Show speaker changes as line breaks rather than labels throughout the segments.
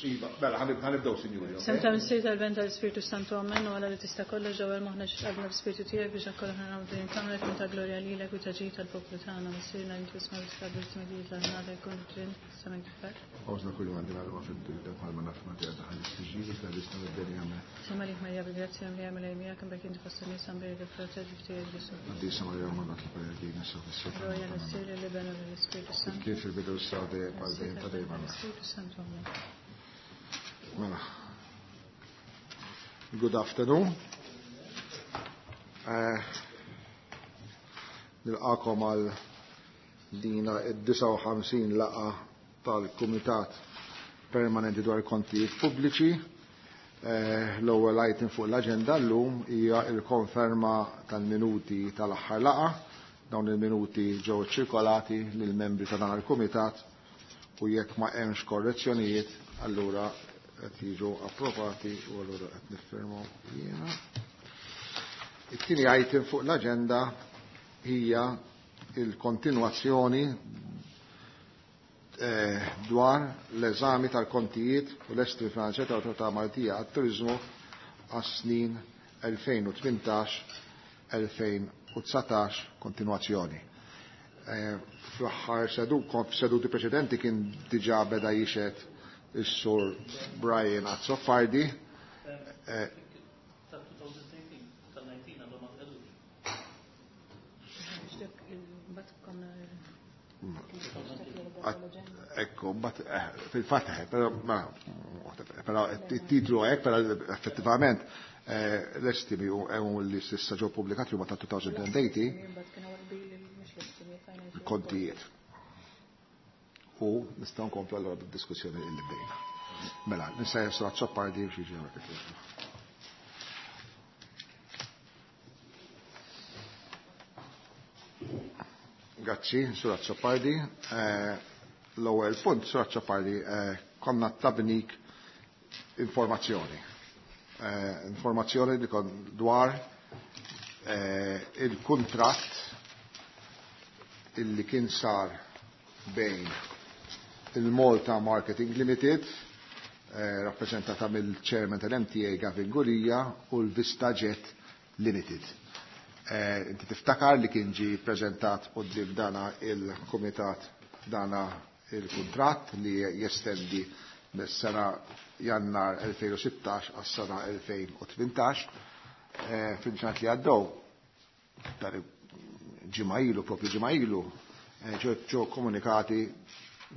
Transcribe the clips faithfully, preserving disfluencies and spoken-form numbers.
Iva, mela, ħanibdew, sinjuri.
Semta Missier tal-Ben tal-Ispirtu Santu Amen u għala li tista' kollox ġewwa moħħna x'qalbna b'Spirtu tiegħek biex akoll aħna nagħmlu din il-kamra tkun ta' glorja lilek u ta' ġid tal-poplu tagħna. Missierna li tisma' l-iskabru tmedijiet l-ħnada jkun ġin sa minn kifar.
Għawżna kull għandi għalwa fid-dinja bħalma naf ma tiegħek daħal istiġi, iżda lista mid-dinja me.
Sema lik Marija bil-grazzja li għamel miegħek imbagħad inti fost in-nies għambir il-frott ġiftijek Ġesu.
Qaddisa Marija Madonna tlipa sa fis-seta.
Glorja l-Missier l-Iben u l-Ispirtu Santu.
Kif il-bidu s-sa dejjem għal dejjem ta' dejjem.
Spirtu Santu Amen.
Mela. Good afternoon. Eh, Nilqakom għal dina id-disgħa u ħamsin laqa tal-Kumitat Permanenti dwar Kontijiet Pubbliċi. Eh, L-ewwel item fuq l-aġenda llum hija l-konferma tal-minuti tal-aħħar laqa. Dawn il-minuti ġew ċirkolati lill-membri ta' dan il-Kumitat u jekk ma hemmx korrezzjonijiet, allura qed jiġu approvati u allura qed niffirmaw jiena. It-tieni item fuq l-aġenda hija il-kontinwazzjoni eh, dwar l-eżami tal-kontijiet u l-estri finanzjati tal-Awtorità Maltija għat-Turiżmu għas-snin elfejn u tmintax elfejn u dsatax kontinwazzjoni. Eh, fl-aħħar seduti preċedenti kien diġà beda jixed is-sur Brian Azzopardi. Eh, Ekku, bat, eh, fil-fatt, eh, però, ma, però il-titlu hekk, però effettivament, eh, l-estimi u hemm li s'issa ġew pubblikati huma ta' twenty eighteen kontijiet. U nistgħu nkomplu allura bid-diskussjoni li bdejna. Mela, nista' jessu Azzopardi biex jiġi hawnhekk. Grazzi, Sur Azzopardi. Eh, l-ewwel punt, Sur Azzopardi, eh, konna tabnik informazzjoni. Eh, informazzjoni li kon dwar il-kuntratt illi kien sar bejn il-Malta Marketing Limited, eh, rappresentata mill-chairman tal-M T A Gavin Gulia, u l-VistaJet Limited. Eh, inti tiftakar li kien ġi prezentat quddiem dana il-komitat dana il-kuntratt li jestendi mis-sena Jannar elfejn u sittax għas-sena elfejn u tmintax. Eh, fil-ġurnat li għaddew, dar ġimgħa ilu, propju ġimgħa ilu, eh, ġew, ġew komunikati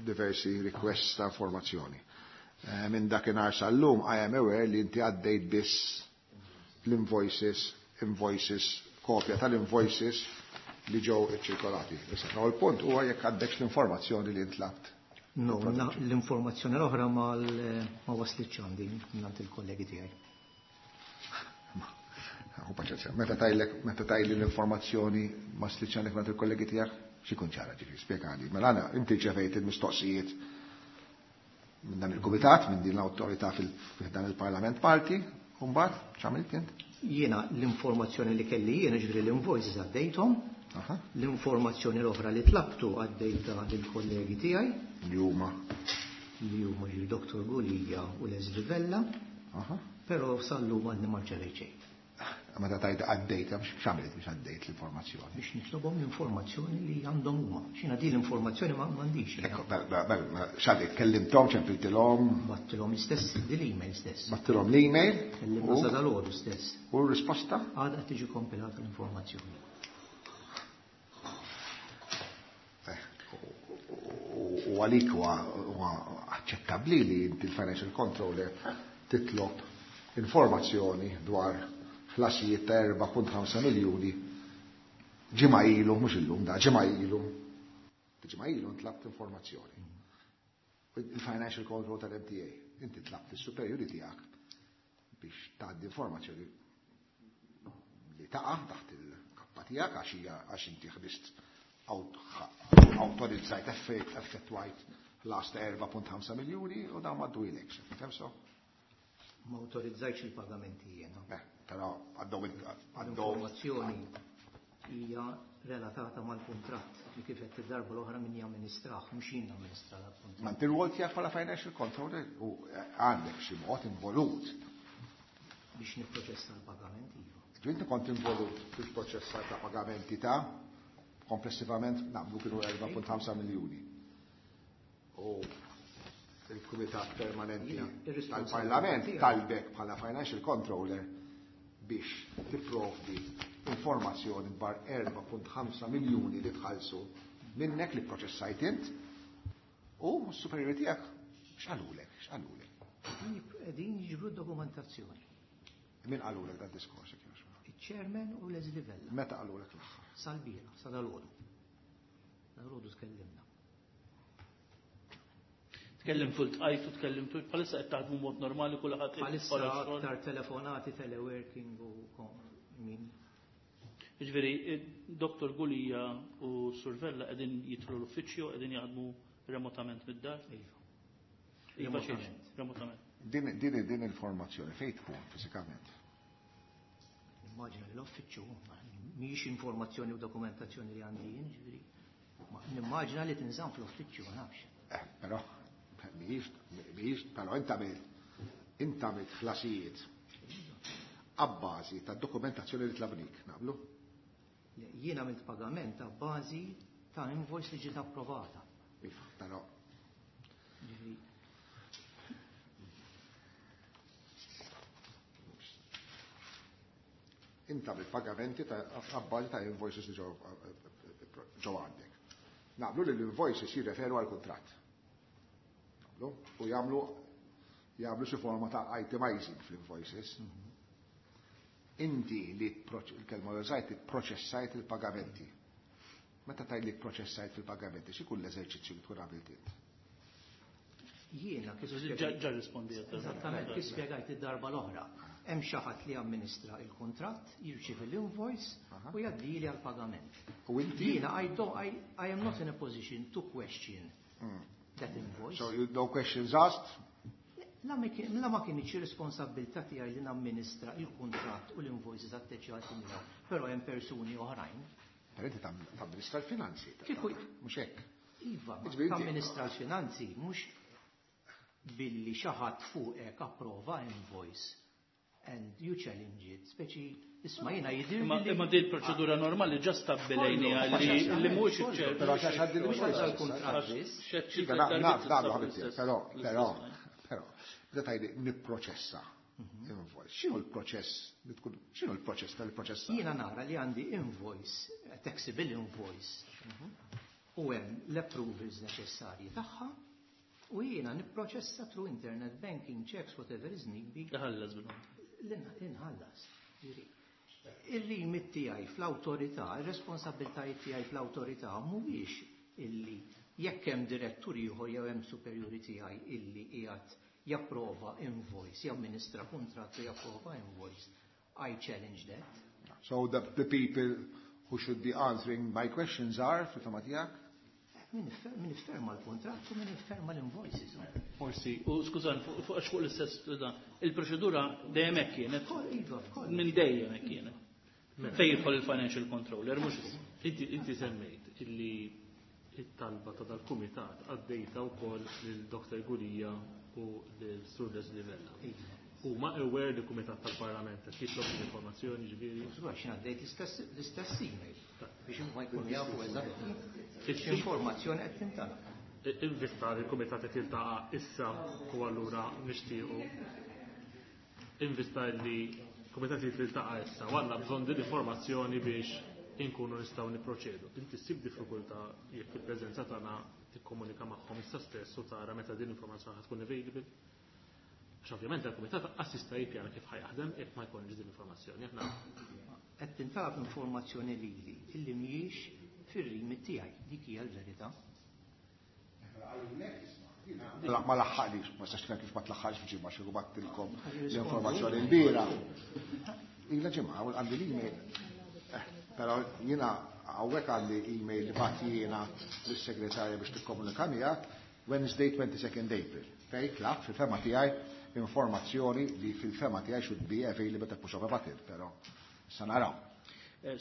diversi requests ta' informazzjoni. Eh, minn dakinhar sal-lum, I am aware li inti għaddejt biss l-invoices, invoices, kopja tal-invoices li ġew iċċirkolati. Issa, no, il-punt huwa jekk għaddekx l-informazzjoni li intlabt.
No, na, l-informazzjoni l-oħra ma l-, ma waslitx għandi mingħand il-kollegi tiegħi.
U paċenzja, meta tajlek, meta tajli l-informazzjoni ma waslitx għandek mingħand il-kollegi tiegħek, x'ikun ċara ġifieri, spjegali. Mela għana, inti ċevejt il-mistoqsijiet minn dan il-kumitat, minn din l-awtorità fil-, fil dan il-Parlament Malti, u mbagħad x'għamilt int?
Jiena l-informazzjoni li kelli jiena ġifieri l-invoices għaddejthom.
Aha.
L-informazzjoni l-oħra li tlabtu għaddejta lill-kollegi tiegħi.
Li huma?
Li huma ġifieri Doktor Gulia u Leslie Vella.
Aha.
Però sal-lum għadni ma rċevejt xejn.
Meta tajt għaddejt, x'għamilt biex għaddejt l-informazzjoni?
Biex nitlobhom l-informazzjoni li għandhom huma. X'ina din l-informazzjoni ma m'għandix.
Ekku, bel, bel, bel, x'għaddejt, kellimthom, ċempiltilhom?
Battilhom l-istess, din l-email stess.
Battilhom l-email?
Kellimna
U
sa dal-għodu stess.
U r-risposta?
Għadha tiġi kompilata l-informazzjoni.
Eh, u għalik huwa aċċettabbli li inti l-financial controller titlob informazzjoni dwar ħlasijiet ta' erba' punt ħamsa miljuni ġimgħa ilu, mhux illum da, ġimgħa ilu. Ġimgħa ilu ntlabt informazzjoni. Il-financial control tal-M T A, inti tlabt is-superjuri tiegħek biex tgħaddi informazzjoni li taqa' taħt il-kappa tiegħek għax hija għax inti ħdist awtorizzajt effettwajt ħlas ta' erba' punt ħamsa miljuni u dawn ma ddwilekx, fem so?
Ma awtorizzajtx il-pagamenti jiena.
Eh, però għaddew il-, għaddew
L-informazzjoni hija relatata mal-kuntratt li kif qed id-darba l-oħra min jamministrah, mhux jien namministra l-kuntratt.
Ma inti r-rwol tiegħek bħala financial controller u għandek xi mod involut.
Biex nipproċessa l-pagamenti, iva.
Inti kont involut fil-proċessar ta' pagamenti ta' komplessivament naqblu kienu erba' punt ħamsa miljuni. U il-Kumitat Permanenti tal-Parlament talbek bħala financial controller biex tipprovdi informazzjoni dwar erba' punt ħamsa miljuni li tħallsu minnek li proċessajt int u s-superjuri tiegħek x'qalulek, x'qalulek?
Qegħdin jiġbru dokumentazzjoni.
Min qalulek dan diskors?
Il-chairman u Leslie Vella.
Meta qalulek l-aħħar?
Sal-bieraħ, sa dal-għodu. Dal-għodu tkellimna.
Tkellimtu l-tqajtu, tkellimtu, bħalissa qed taħdmu mod normali kulħadd
bħalissa aktar telefonati, teleworking u min.
Jiġifieri, Doktor Gulia u Sur Vella qegħdin jidħlu l-uffiċċju, qegħdin jaħdmu remotament mid-dar?
Iva.
Iva xiex, remotament.
Din, din, din il-formazzjoni fejn tkun fiżikament?
Immaġina l-uffiċċju, mhijiex informazzjoni u dokumentazzjoni li għandi jien, ġifieri. Nimmaġina li tinżamm fl-uffiċċju, ma nafx.
Eh, però mhijiex, mhijiex, però inta għamilt, inta għamilt ħlasijiet abbażi ta' dokumentazzjoni li tlabnik, naqblu?
Jien għamilt pagament abbażi ta' invoice li ġiet approvata.
Iva, però.
Ġifieri.
Inta bil-pagamenti ta' abbażi ta' invoices li ġew għandek. Naqblu li l-invoices jirreferu għal kuntratt. Naqblu? U jagħmlu jagħmlu xi forma ta' itemizing fl-invoices. Inti li il-kelma li użajt proċessajt il-pagamenti. Meta tgħid li proċessajt il-pagamenti, x'ikun l-eżerċizzju li tkun għamilt int?
Jiena kif
Ġa rispondejt.
Eżattament, kif spjegajt id-darba l-oħra. Hemm xi ħadd li amministra il-kuntratt, jirċievi l-invoice u jgħaddili għall-pagament.
U inti?
Jiena I don't, I, I am not in a position to question that invoice.
So you, no questions asked?
La ma kienx responsabilità tiegħi li namministra il-kuntratt u l-invoices atteċjati miegħu, però hemm persuni oħrajn.
Però inti tamministra l-finanzi.
Kieku
mhux hekk.
Iva, tamministra l-finanzi mhux billi xi ħadd fuqek approva invoice and you challenge it, speċi isma' jiena jidhir.
Imma din il-proċedura normali ġa stabbilejniha li mhux iċ-ċer.
Però xi ħadd
il-kuntratt.
Naf, naf, ħabibti, però, però, però, meta tgħidli nipproċessa invoice. X'inhu l-proċess li tkun, x'inhu l-proċess tal-proċessa?
Jiena nara li għandi invoice, taxable invoice, u hemm l-approvals neċessarji tagħha. U jiena nipproċessa through internet banking, checks, whatever is need be.
Iħallas bil
Inħallas. Ir-rimit tiegħi fl-awtorità, ir-responsabbiltajiet tiegħi fl-awtorità mhuwiex illi jekk hemm direttur ieħor jew hemm superjuri tiegħi illi qiegħed japprova invoice, jamministra kuntratt u japprova invoice. I challenge that.
So the, the people who should be answering my questions are, fil-fema tiegħek?
Min ifferma l-kontratt u min ifferma l-invoices.
Forsi, u skużani, fuq għax fuq l-istess dan, il-proċedura dejjem hekk kienet.
Iva, f'koll.
Minn dejjem hekk kienet. Fejn jidħol il-financial controller, mhux issa.
Inti, inti semmejt illi it-talba ta' dal-kumitat għaddejta wkoll lil Doktor Gulia u lil Sur Leslie Vella. U ma aware li kumitat tal-Parlament qed jitlob l-informazzjoni ġifieri.
Għax għaddejt l-istess email biex huma jkunu jafu eżatt x'informazzjoni qed tintalab.
Invista li l-kumitat qed jiltaqa' issa u allura nixtiequ. Invista li l-kumitat qed jiltaqa' issa u għandna bżonn din l-informazzjoni biex inkunu nistgħu nipproċedu. Inti ssib diffikultà jekk fil-preżenza tagħna tikkomunika magħhom issa stess u tara meta din l-informazzjoni ħad tkun available. Għax ovvjament il-kumitat assista jippjana kif ħajaħdem jekk ma jkunx din l-informazzjoni. Aħna
qed tintalab informazzjoni lili illi mhijiex fir-rimit tiegħi, dik hija l-verità.
Ma laħħaqlix, ma sax kif ma tlaħħaqx f'ġimgħa xi battilkom l-informazzjoni l-bira. Ilha ġimgħa u għandi l-email. Però jiena hawnhekk għandi email li bagħat jiena lis-segretarja biex tikkomunika miegħek Wednesday twenty-second April. Fej tlaq fil-fema tiegħi informazzjoni li fil-fema tiegħi should be available ta' push of a button, però sa naraw.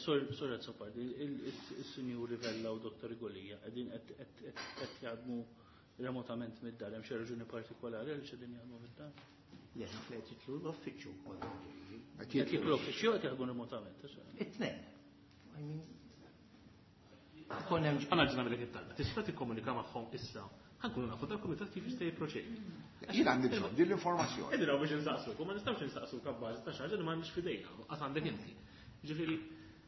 Sur Azzopardi, il-Sinjuri Vella u Dottor Gulia qegħdin qed jaħdmu remotament mid-dar, hemm xi raġuni partikolari għaliex qegħdin jaħdmu mid-dar?
Le, naf li qed jidħlu l-uffiċċju wkoll.
Qed jidħlu l-uffiċċju qed jaħdmu remotament.
It-tnejn. I mean, ikun hemm
Għandna ġna mill it-talba. Tista' tikkomunika magħhom issa. Ħa nkunu nafu dal-kumitat kif jista' jipproċedi.
Jien għandi bżonn din l-informazzjoni.
Qegħdin hawn biex insaqsuk, u ma nistgħux insaqsuk abbażi ta' xi ħaġa li m'għandniex f'idejna, qas għandek inti. Ġifieri,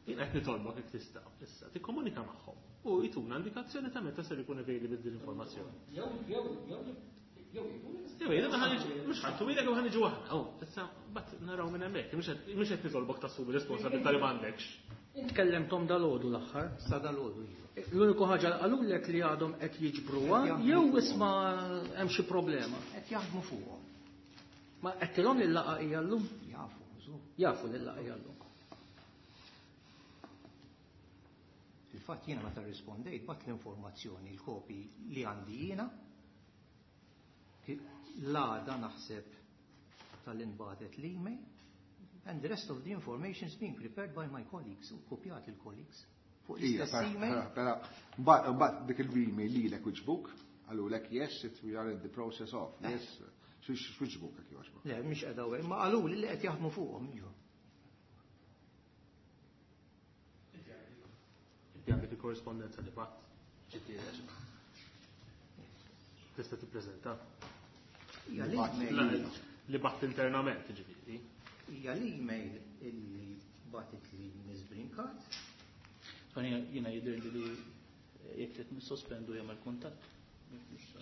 jien qed nitolbok jekk tista' issa tikkomunika magħhom u jtuna indikazzjoni ta' meta ser ikun available din l-informazzjoni.
Jew jew jew jew
Jew jgħidu ħa niġu, mhux ħadd ilek jew ħa niġu aħna. Oh, issa mbagħad naraw minn hemmhekk, mhux qed mhux qed nitolbok tassumi responsabilità li m'għandekx.
Tkellemtom dal-għodu l-aħħar.
Sa dal-għodu iva.
L-uniku ħaġa li qalulek li għadhom qed jiġbruha jew isma' hemm xi problema.
Qed jaħdmu fuqhom.
Ma qedtilhom li l-laqgħa hija llum?
Jafu, żgur.
Jafu li l-laqgħa hija llum.
Fil-fatt jiena meta rrispondejt bat l-informazzjoni, l-kopi li għandi jiena, l-għada naħseb tal-inbatet l-email, and the rest of the information is being prepared by my colleagues, u kopjat il-colleagues. Fuq
Ija,
l-istess email.
Pera, mbagħad dik il-email lilek wiġbuk, qalulek yes, it we are in the process of, yes, x'wiġbuk jekk jogħġbok.
Le, mhix qiegħda hawn, ma qalu li qed jaħdmu fuqhom, iva.
Inti għandek il-korrispondenza li bat ġifieri. Tista' tippreżenta.
Hija l-email.
Li bat internament, ġifieri.
Hija l-email illi batet li Miss Brincat.
Jiena jidher li li jekk trid nissospendu jagħmel kuntatt.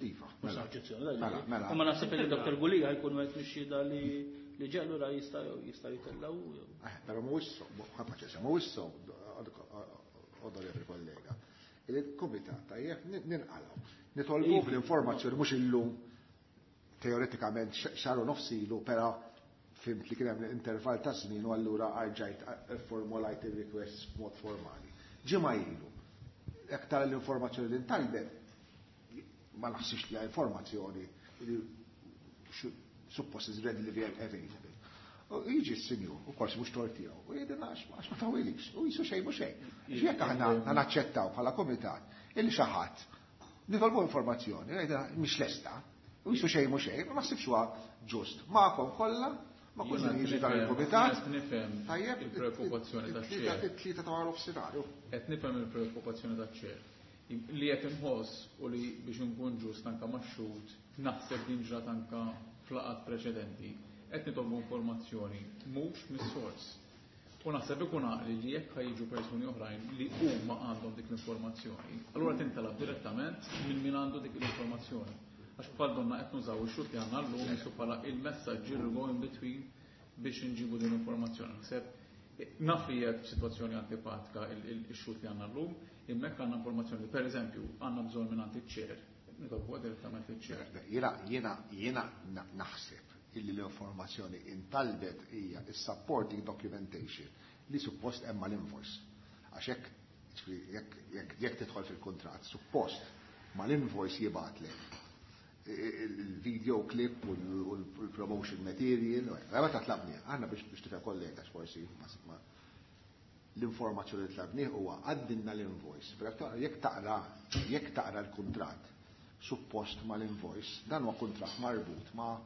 Iva,
Mhux
mela.
oġġezzjoni, dai.
Mela, mela.
Imma naħseb li Dottor Gulia jkun wieħed mix-xhieda li li ġellu ra jista' jista' jitellgħu jew.
Eh, però mhuwiex so, ħafna ċesa, mhuwiex so, onorevoli kollega. Il-kumitat tajjeb ninqalgħu. Nitolbu l-informazzjoni mhux illum teoretikament xahar u nofs ilu, però fimt li kien hemm intervall ta' żmien u allura arġajt formulajt il-request b'mod formali. Ġimgħa ilu, jekk tara l-informazzjoni li ntalbet, ma naħsibx li hija informazzjoni li suppost is readily available. U jiġi s-sinjur, u forsi mhux tort tiegħu, u jgħidilna għax ma tawilix, u jisu xejn mhux xejn. Jekk aħna naċċettaw bħala kumitat illi xi ħadd nitolbu informazzjoni, jgħidilna mhix lesta, u jisu xejn mhux xejn, ma naħsibx huwa ġust. Magħkom kollha, ma kull min jiġi dan il-kumitat.
Qed nifhem
Tajjeb,
il-preokkupazzjoni taċ-chair.
It-tlieta ta' wara nofsinhar.
Qed nifhem il-preokkupazzjoni taċ-chair. Li qed inħoss u li biex inkun ġust anke max-xhud naħseb din ġrat anke f'laqgħat preċedenti, qed nitolbu informazzjoni mhux mis-sors. U naħseb ikun għaqli li jekk ħajġu persuni oħrajn li huma għandhom dik l-informazzjoni, allura tintalab direttament minn min għandu dik l-informazzjoni. Għax bħal donna qed nużaw ix-xhud li għandna llum jisu bħala il-messaġġier li go in between biex inġibu din l-informazzjoni. Naħseb naf li hija sitwazzjoni antipatika il-xhud li għandna llum, imma hekk għandna informazzjoni li pereżempju għandna bżonn minn għand iċ-chair, nitolbu direttament iċ-chair.
Jiena jiena jiena naħseb illi l-informazzjoni intalbet hija is-supporting documentation li suppost hemm mal-invoice. Għax hekk, jekk, jekk, jekk tidħol fil-kuntratt, suppost mal-invoice jibgħatlek il-video clip u l-promotion material, meta tlabni, għandna biex biex tifhem kollega forsi ma l-informazzjoni li tlabni huwa għaddilna l-invoice. Però jekk taqra, jekk taqra l-kuntratt suppost mal-invoice, dan huwa kuntratt marbut ma'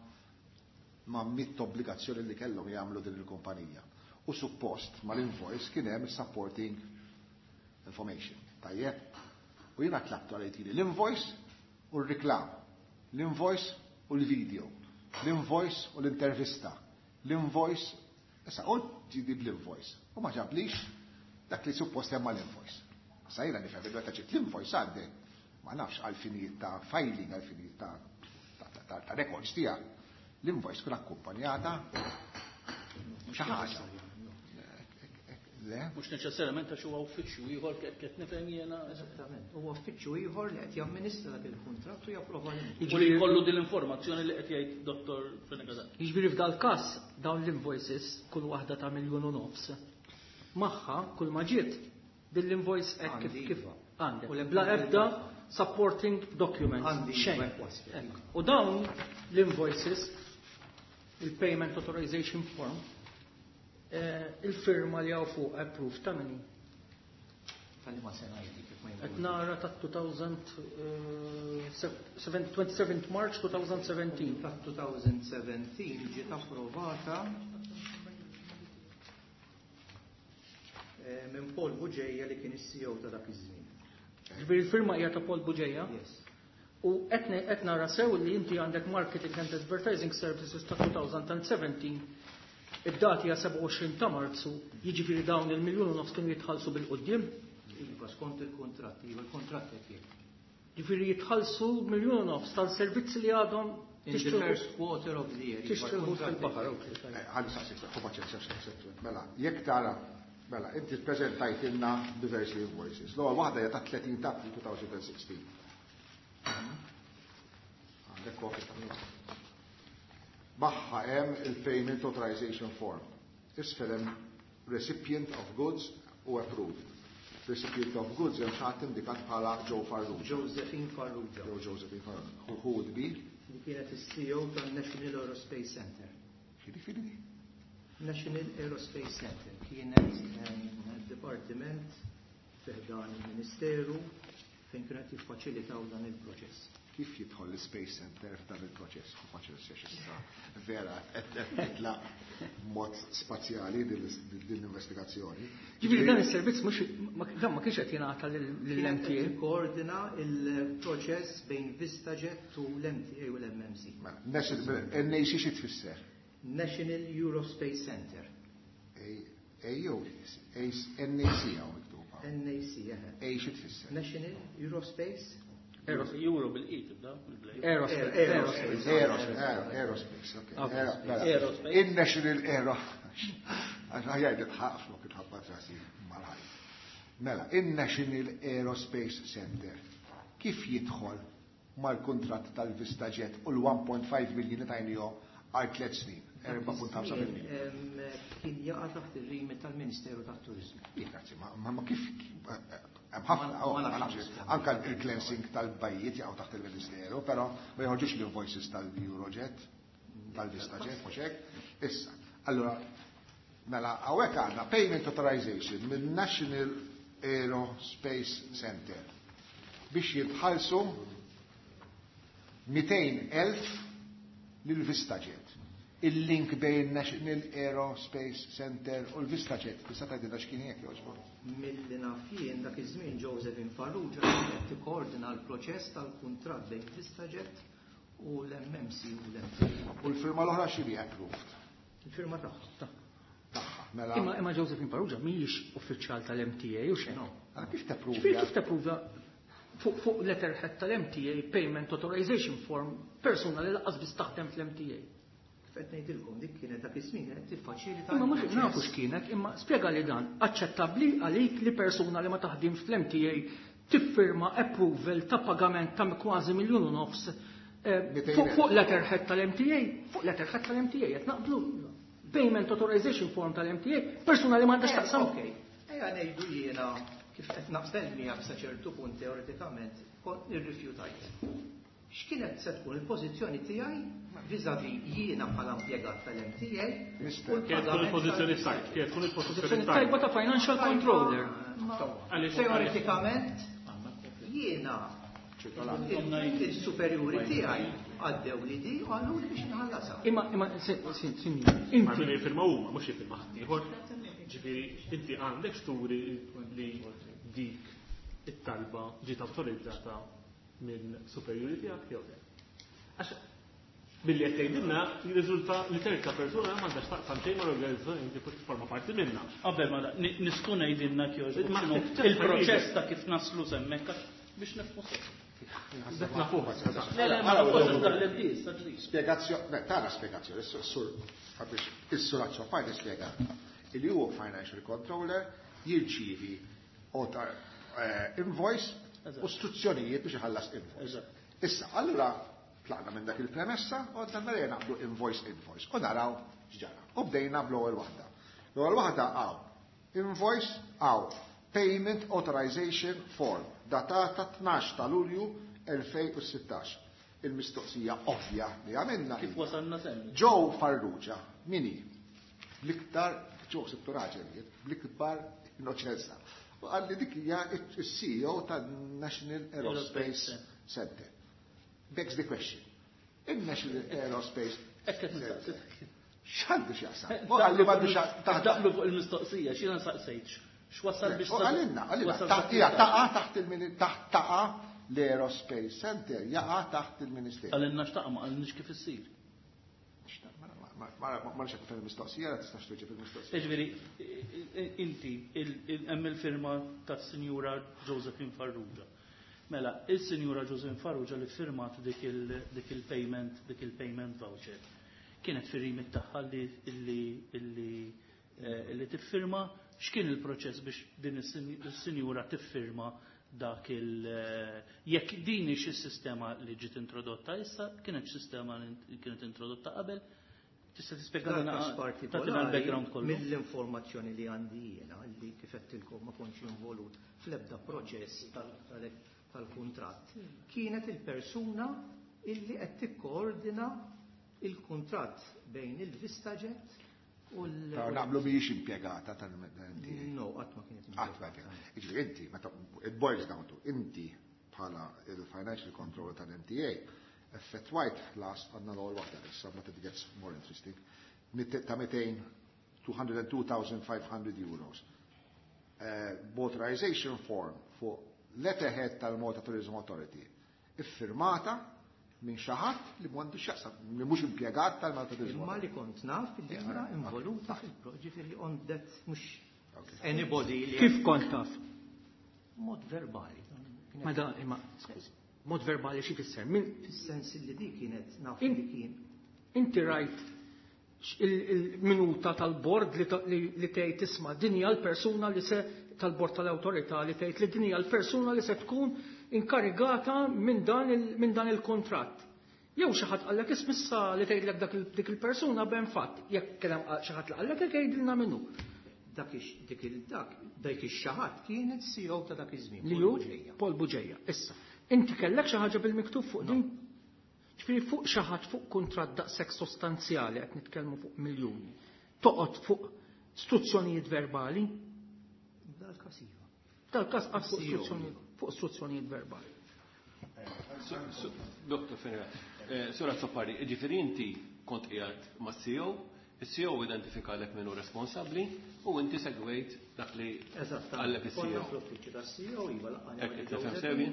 ma' mitt obbligazzjoni li kellhom jagħmlu din il-kumpanija. U suppost mal-invoice kien hemm supporting information. Tajjeb? U jiena tlabtu għal jtini l-invoice u r-reklam, l-invoice u l-video, l-invoice u l-intervista, l-invoice, issa u ġidi bl-invoice. U ma ġablix dak li suppost hemm mal-invoice. Issa jiena nifhem meta ġiet l-invoice għandek, ma nafx għal finijiet ta' filing, għal finijiet ta' ta' ta' ta' records tiegħek. L-invoice tkun akkumpanjata xi ħaġa. Le?
Mhux neċessarjament għax huwa uffiċċju ieħor qed qed nifhem jiena.
Eżattament. Huwa uffiċċju ieħor li qed jamministra dak il-kuntratt u japprova l-invoice.
U li jkollu din l-informazzjoni li qed jgħid Dottor Fenech Adami.
Jiġifieri f'dal każ dawn l-invoices kull waħda ta' miljun u nofs. Magħha kull ma ġiet din l-invoice hekk kif
Għandi,
kif
iva.
għandek.
U l-
Bla ebda supporting documents.
Għandi,
Xejn.
iva, wasfet.
Hekk. U dawn l-invoices, il-payment authorization form, Il-firma li hawn fuq approved ta' min hi?
Tal-liema sena jdi kif ma
Qed nara ta' twenty-seventh March twenty seventeen.
Ta' twenty seventeen ġiet approvata minn Paul Bugeja li kien is-C E O ta' dak iż-żmien.
Ġifieri il-firma hija ta' Paul Bugeja?
Yes.
U qed nara sew li inti għandek Marketing and Advertising Services ta' twenty seventeen, id-dati hija sebgħa u għoxrin ta' Marzu, jiġifieri dawn il-miljun u nofs kienu jitħallsu bil-quddiem?
Iva, skont il-kontratti, iva, il-kontratt qed jgħid.
Ġifieri jitħallsu miljun u nofs tal-servizzi li għadhom
In the first quarter of the year, iva,
tixtru
il-kontratti
fil-baħar,
qed
ok, tajjeb.
Ħalli saqsik, ħu paċenzja, saqsik, mela, jekk tara, mela, inti ppreżentajtilna diversi invoices. L-ewwel waħda hija ta' tletin ta' April twenty sixteen. Għandek kopja ta' minna. Magħha hemm il-Payment Authorization Form. Isfel hemm Recipient of Goods u Approved. Recipient of Goods hemm xi ħadd indikat bħala Joe Farrugia.
Josephine Farrugia.
Joe Josephine Farrugia. Who, who would be?
Li kienet is-C E O tan-National Aerospace Center.
X'jiġifieri di?
National Aerospace Center kienet, ehm, dipartiment fi ħdan il-Ministeru fejn kienet jiffaċilitaw dan il-proċess.
Kif jidħol l-Space Center f'dan il-proċess? Hu faċil issa vera qed titla' mod spazjali din l-investigazzjoni.
Ġifieri dan is-servizz mhux dan ma kienx qed jingħata lill-M T A.
Kienet koordina il-proċess bejn VistaJet u l-M T A u l-M M C.
Mela, National, N A C xi tfisser?
National Aerospace Center.
A, A U, A, N A C hawn miktuba.
N A C, eħe.
A xi tfisser?
National Aerospace?
Aerospace.
Euro bil-E tibda, bil-blej.
Aerospace.
Aerospace.
Aerospace, Aerospace, ok.
Okay.
Aero,
Aerospace.
Il-National Aero. Għax ħajja nitħaq flok itħabba trasi mal-ħaj. Mela, il-National Aerospace Center kif jidħol mal-kuntratt tal-VistaJet u l-one point five million li tajnihom għal tliet snin, erba' punt ħamsa miljun.
Em, kien jaqa' taħt ir-remit tal-Ministeru tat-Turiżmu.
Ih, grazzi, ma, ma, ma kif, hemm ħafna,
Ma
oh, ma
nafx.
nafx, anka il-cleansing tal-bajjiet jaqgħu taħt il-Ministeru, però ma joħorġux l-invoices tal-Eurojet, tal-VistaJet, mhux hekk. Issa, allura, mela, hawnhekk għandna payment authorization minn National Aerospace Center biex jitħallsu mitejn elf lil VistaJet. Il-link bejn National Aerospace Center u l-VistaJet, tista' tgħidilna x'kien hekk jogħġbok?
Milli naf jien dak iż-żmien Josephine Farrugia kienet tikkoordina l-proċess tal-kuntratt bejn VistaJet u l-M M C u l-M T A.
U l-firma l-oħra x'inhi approved?
Il-firma tagħha.
Tagħha, mela.
Imma, imma Josephine Farrugia mhijiex uffiċjal tal-M T A u xejn.
No.
Allora kif tappruvja?
Ġifieri kif tappruvja fuq, fuq letterhead tal-M T A Payment Authorization Form persuna li lanqas biss taħdem fl-M T A?
Kif qed ngħidilkom dik kienet dak iż-żmien qed tiffaċilita
Imma mhux
l-proċess.
nafu x'kienet, imma spjega li dan aċċettabbli għalik li persuna li ma taħdimx fl-M T A tiffirma approval ta' pagament ta' kważi miljun u nofs, eh,
Mitejn
fuq,
elf.
fuq letterhead tal-M T A, fuq letterhead tal-M T A qed naqblu. Payment Authorization Form tal-M T A, persuna li m'għandax
Eh,
taqsam.
Ok, ejja ngħidu jiena kif qed naqbel miegħek sa ċertu punt teoretikament kont irrifjutajt. X'kienet se tkun il-pożizzjoni tiegħi vis-à-vis jiena bħala impjegat tal-M T A
Mister.
u
Kienet tkun
l-pagament
il-pożizzjoni
tal-
tajba, kienet tkun il-pożizzjoni
Pożizzjoni tajba ta' financial
Tajba,
controller.
ma
Għaliex-
teoretikament jiena
Ċirkolari.
il-superjuri tiegħi għaddew li di u għallu li biex nħallasha.
Imma, imma, se, se, sinjur,
Ma
inti
min jiffirma huma, mhux jiffirma ħadd ieħor. Ġifieri inti għandek xturi li dik it-talba ġiet awtorizzata minn superjuri tiegħek jew le. Għax billi qed tgħidilna jirriżulta li terza persuna m'għandax taqsam xejn mal-organizzazzjoni inti forsi forma parti minnha.
Qabel ma da-, ni-, nistgħu ngħidilna kif
Ma
x'inhu
ftit
il-proċess ta' kif naslu hemmhekk biex nifhmu sew.
Dak nafuh.
Le, le, ma nafux dak l-biss, dak
Spiegazzjoni, ne, tara spiegazzjoni, is-sur, biex is-sur Azzopardi spjega li huwa financial controller jirċievi otar, eh, invoice u istruzzjonijiet biex iħallas invoice.
Eżatt.
Issa, allura tlaqna minn dak il-premessa u għadna mela naqblu invoice invoice u naraw x'ġara. U bdejna bl-ewwel waħda. L-ewwel waħda hawn invoice hawn payment authorization form datata tnax ta' Lulju elfejn u sittax. Il-mistoqsija ovvja li għamilna
Kif
hija
wasalna semmi?
Joe Farrugia, min hi? L-iktar Ġo sibtu raġel bl-ikbar innoċenza. U qalli dik hija il-C E O tan-National Aerospace Center. Begs the question. Il-National Aerospace Center. X'għandu x'jaqsam? U qalli m'għandu x'jaqsam.
Daqlu fuq il-mistoqsija, x'jiena saqsejtx. X'wasal biex
U qalilna, qalilna, hija taqa' taħt il taħt taqa' l-Aerospace Center jaqa' taħt il-Ministeru.
Qalilna x'taqa', ma qalilniex kif issir.
Ma nafx kif il-mistoqsija, la tistax tweġib il-mistoqsija.
Ġifieri, inti, hemm il-firma tas-Sinjura Josephine Farrugia. Mela, il-Sinjura Josephine Farrugia li firmat dik il-payment, dik il-payment voucher. Kienet fir-remit tagħha li li tiffirma, x'kien il-proċess biex din is-sinjura tiffirma dak il jekk din hix is-sistema li ġiet introdotta issa, kienet sistema li kienet introdotta qabel? Tista' tispjega tagħtina l-background kollu?
Mill-informazzjoni li għandi jiena, li kif għedtilkom ma kontx involut fl-ebda proċess tal-kuntratt, kienet il-persuna illi qed tikkoordina il-kuntratt bejn il-VistaJet u l-
Naqblu mhijiex impjegata tal-M T A.
No, qatt ma kienet
Qatt ma impjegata. Jiġifieri inti, meta it boils down to inti bħala il-financial controller tal-M T A effettwajt ħlas, għandna l-ewwel waħda issa, but it gets more interesting, ta' two hundred and two thousand five hundred euros. Authorization form fuq letterhead tal-Malta Tourism Authority iffirmata minn xi ħadd li m'għandu x'jaqsam, li mhux impjegat tal-Malta Tourism
Imma li kont naf li hija involuta fil-proġifieri on that mhux anybody li
Kif kont taf?
Mod verbali.
Ma da, imma, skużi, mod verbali xi fisser? Min
Fis-sens li di kienet naf li kien.
Inti rajt il-minuta tal-bord li tgħid, isma', din hija l-persuna li se tal-bord tal-awtorità li tgħid li din hija l-persuna li se tkun inkarigata minn dan il-kontratt? Jew xi ħadd qallek ismissa li tgħidlek dak dik il-persuna ben fatt, jekk kien hemm xi ħadd li qallek hekk, jgħidilna minnu.
Dak dik il-dak dak ix-xi ħadd kien il-C E O ta' dak iż-żmien.
Li hu Paul Bugeja. Issa, inti kellek xi ħaġa bil-miktub fuq din? Ġifieri fuq xi ħadd fuq kuntratt daqshekk sostanzjali, qed nitkellmu fuq miljuni, toqgħod fuq istruzzjonijiet verbali?
Dal-każ iva.
Dal-każ qgħad fuq istruzzjonijiet fuq istruzzjonijiet verbali.
Doktor Ferreira, Sur Azzopardi, ġifieri inti kont qiegħed ma' C E O, il-C E O identifika lek min hu responsabbli u inti segwejt dak li qallek il-C E O.
Konna fl-uffiċċju tas-C E O, iva, laqgħani.
Hekk tifhem sewi?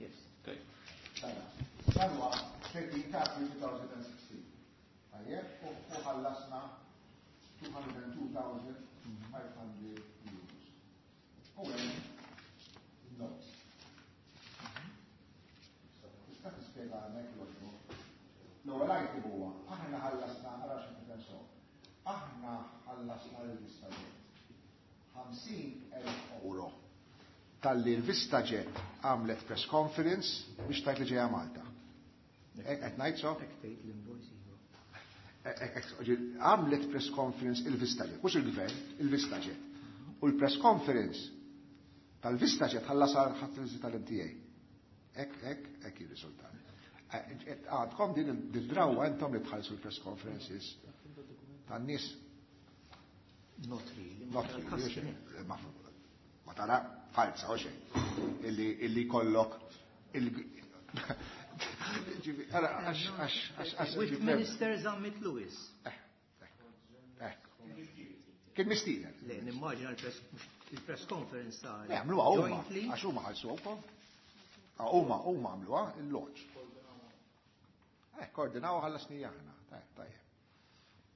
Yes.
Dan huwa thirteen ta' twenty sixteen. Tajjeb, u ħallasna two hundred and two thousand five hundred euros. U hemm notes. Tista' tispjega hemmhekk l L-ewwel item huwa aħna ħallasna, ara xi nifhem so. Aħna ħallasna lil VistaJet ħamsin elf euro talli l-VistaJet għamlet press conference biex tgħid li ġejja Malta. Qed ngħid so? Għamlet press conference il-VistaJet, mhux il-gvern, il-VistaJet. U l-press conference tal-VistaJet ħallasha ħadd tal-M T A. Hekk, hekk, hekk ir-riżultat. Għandkom din il-drawa intom li tħallsu l-press conferences tan-nies?
Not really.
Not really. Ma tara falsa u xejn. Illi kollok il
With Minister Zammit Lewis.
Kien mistieden.
Le, nimmaġina il-press conference ta'
Le, għamluha huma. Għax huma ħallsu wkoll. Huma huma għamluha il-launch. Eh, koordinaw ħallasni aħna. Tajjeb.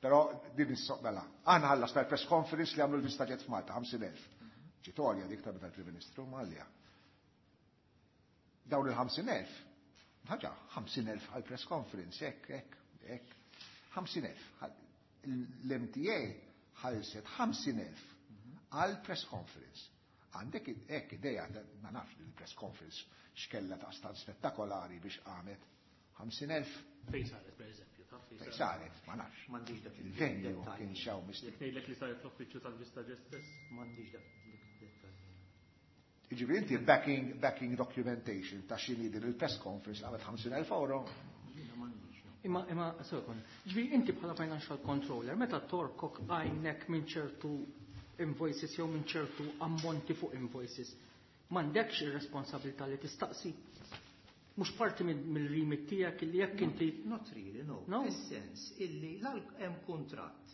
Però din is-soqbela. Aħna ħallasna l-press conference li għamlu l-VistaJet f'Malta, ħamsin elf. Ġitorja dik ta' tal-Prim Ministru Malja. Dawn il-ħamsin elf, ħaġa, ħamsin elf għal-press conference, hekk, hekk, hekk, ħamsin elf. L-M T A ħallset ħamsin elf għal-press conference. Għandek hekk ideja, ma nafx il-press conference x'kella ta' stan spettakolari biex qamet ħamsin elf.
Fejn saret, per eżempju, taf
fejn saret, ma nafx.
M'għandix dak
il-venue kien xaw misti.
Jekk ngħidlek li saret l-uffiċċju tal-VistaJet stess?
M'għandix dak id-dettall.
Jiġifieri inti backing, backing documentation ta' xini din il-press conference għamet ħamsin elf euro.
Jiena m'għandix, no.
Imma, imma, sekond, ġifieri inti bħala financial controller, meta torkok għajnek minn ċertu invoices jew minn ċertu ammonti fuq invoices, m'għandekx ir-responsabilità li tistaqsi. Mhux parti mill-remit tiegħek illi jekk inti.
Not really, no.
No?
Fis-sens illi hemm kuntratt.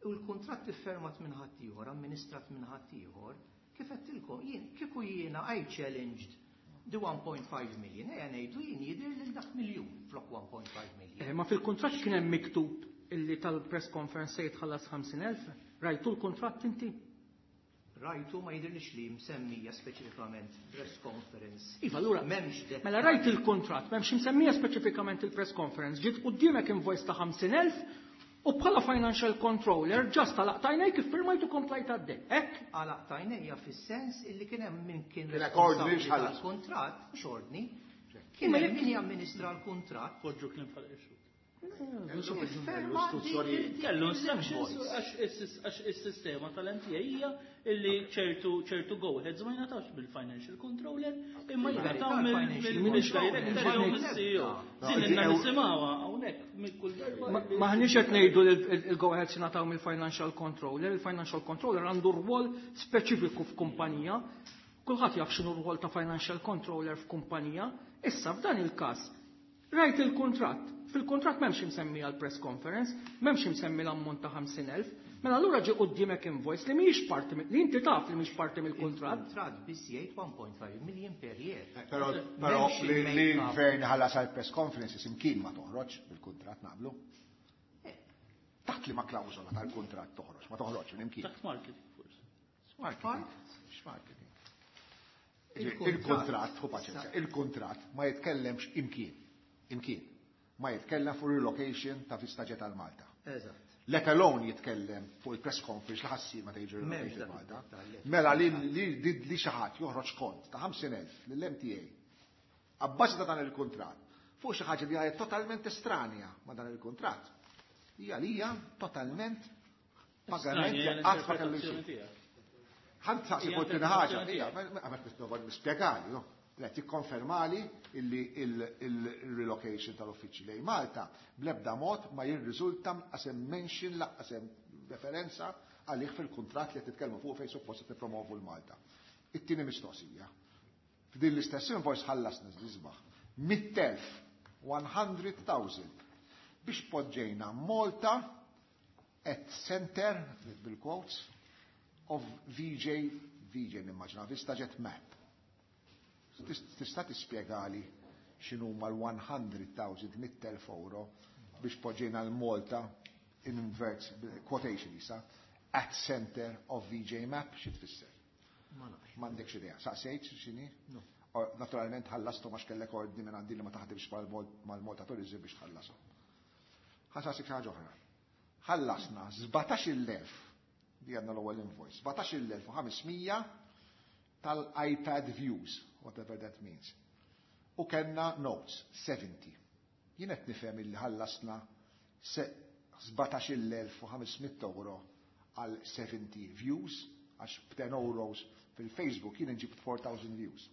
U l-kuntratt iffirmat minn ħaddieħor, amministrat minn ħaddieħor, kif għedtilkom, jien kieku jiena I challenged the one point five million, ejja ngħidu jien jidher lil dak miljun flok one point five million.
Eh, ma fil-kuntratt kien hemm miktub illi tal-press conference se jitħallas ħamsin elf. Rajtu l-kuntratt inti?
Rajtu, ma jidhirlix li msemmija speċifikament press conference.
Iva, allura,
M'hemmx det.
Mela rajt il-kontrat, m'hemmx msemmija speċifikament il-press conference, ġiet quddiemek invoice ta' ħamsin elf u bħala financial controller just għalaqt għajnejk, iffirmajtu, komplejt għaddej. Hekk?
Għalaqt għajnejja fis-sens illi kien hemm min kien
Kien ordni
responsabbli
x'ħallas.
tal-kuntratt, mhux ordni, kien
Imma
hemm
jekk-
min jamministra l-kuntratt.
Poġġu kliem fal-ixu.
Iffirma
L-istruzzjonijiet.
Kellu instructions għax għax is-sistema tal-M T A hija illi ċertu ċertu go-aheads ma jingħatawx bil-financial controller imma jingħataw mill-director jew mill-C E O. Din inna nisimgħuha hawnhekk minn kull darba.
Maħniex qed ngħidu li il-go-aheads jingħataw mill-financial controller, il-financial controller għandu rwol speċifiku f'kumpanija. Kulħadd jaf x'inhu rwol ta' financial controller f'kumpanija. Issa f'dan il-każ rajt il-kuntratt. Fil-kuntratt m'hemmx imsemmi għal press conference, m'hemmx imsemmi l-ammont ta' ħamsin elf. Mela allura ġie quddiemek invoice li mhijiex parti mill- li inti taf li mhix parti mill-kuntratt.
Il-kuntratt biss jgħid one point five million per year.
Però però
M'hemmx
li li
il-make-up.
l-gvern ħallas għal press conferences imkien ma toħroġ bil-kuntratt, naqblu. Taħt li ma klawżola tal-kuntratt toħroġ, ma toħroġ minn imkien.
Taħt marketing forsi.
Marketing. X'marketing?
Il-kuntratt.
Il-kuntratt, hu paċenzja, il-kuntratt ma jitkellemx imkien. Imkien. Ma jitkellem fuq relocation ta' VistaJet għal Malta.
Eżatt.
Let alone jitkellem fuq il-press conference li ħassir meta jiġi
M'hemmx
relocated
dak
Malta.
id-dettall.
Mela li li li li xi ħadd joħroġ kont ta' ħamsin elf lill-M T A abbażi ta' dan il-kuntratt fuq xi ħaġa li hija totalment estranja ma' dan il-kuntratt. Hija li hija totalment pagament li qatt ma kellu jsir. Ħa nsaqsi
Hija
fuq tieni ħaġa,
interpretazzjoni
hija, għamet nipprova nispjegali, no? Le, tikkonfermali illi il-relocation tal-uffiċċji lejn Malta bl-ebda mod ma jirriżulta lanqas hemm mention, lanqas hemm referenza għalih fil-kuntratt li qed titkellmu fuq fejn suppost qed tippromovu l-Malta. It-tieni mistoqsija. F'din l-istess invoice ħallasna l-isbaħ mitt elf, one hundred thousand biex poġġejna Malta at center, bil-quotes, of V J, V J nimmaġina, VistaJet Map. Tista' tispjegali x'inhu mal-one hundred thousand, mitt elf euro biex poġġejna l-Malta in inverts quotation isa at center of V J Map, xi tfisser?
Ma nafx.
M'għandekx idea. Saqsejt x'inhi?
No.
Or, naturalment ħallastu ma x'kellek ordni minn għandi li ma taħdimx mal-Malta Tourism biex tħallasu. Ħa nsaqsik ħaġa oħra. Ħallasna sbatax-il elf, di għandna l-ewwel invoice, sbatax-il elf u ħames mija tal-iPad views, whatever that means. U kellna notes, seventy. Jien qed nifhem illi ħallasna sbatax-il elf u ħames mitt euro għal seventy views, għax b'ten euros fil-Facebook jien nġib four thousand views.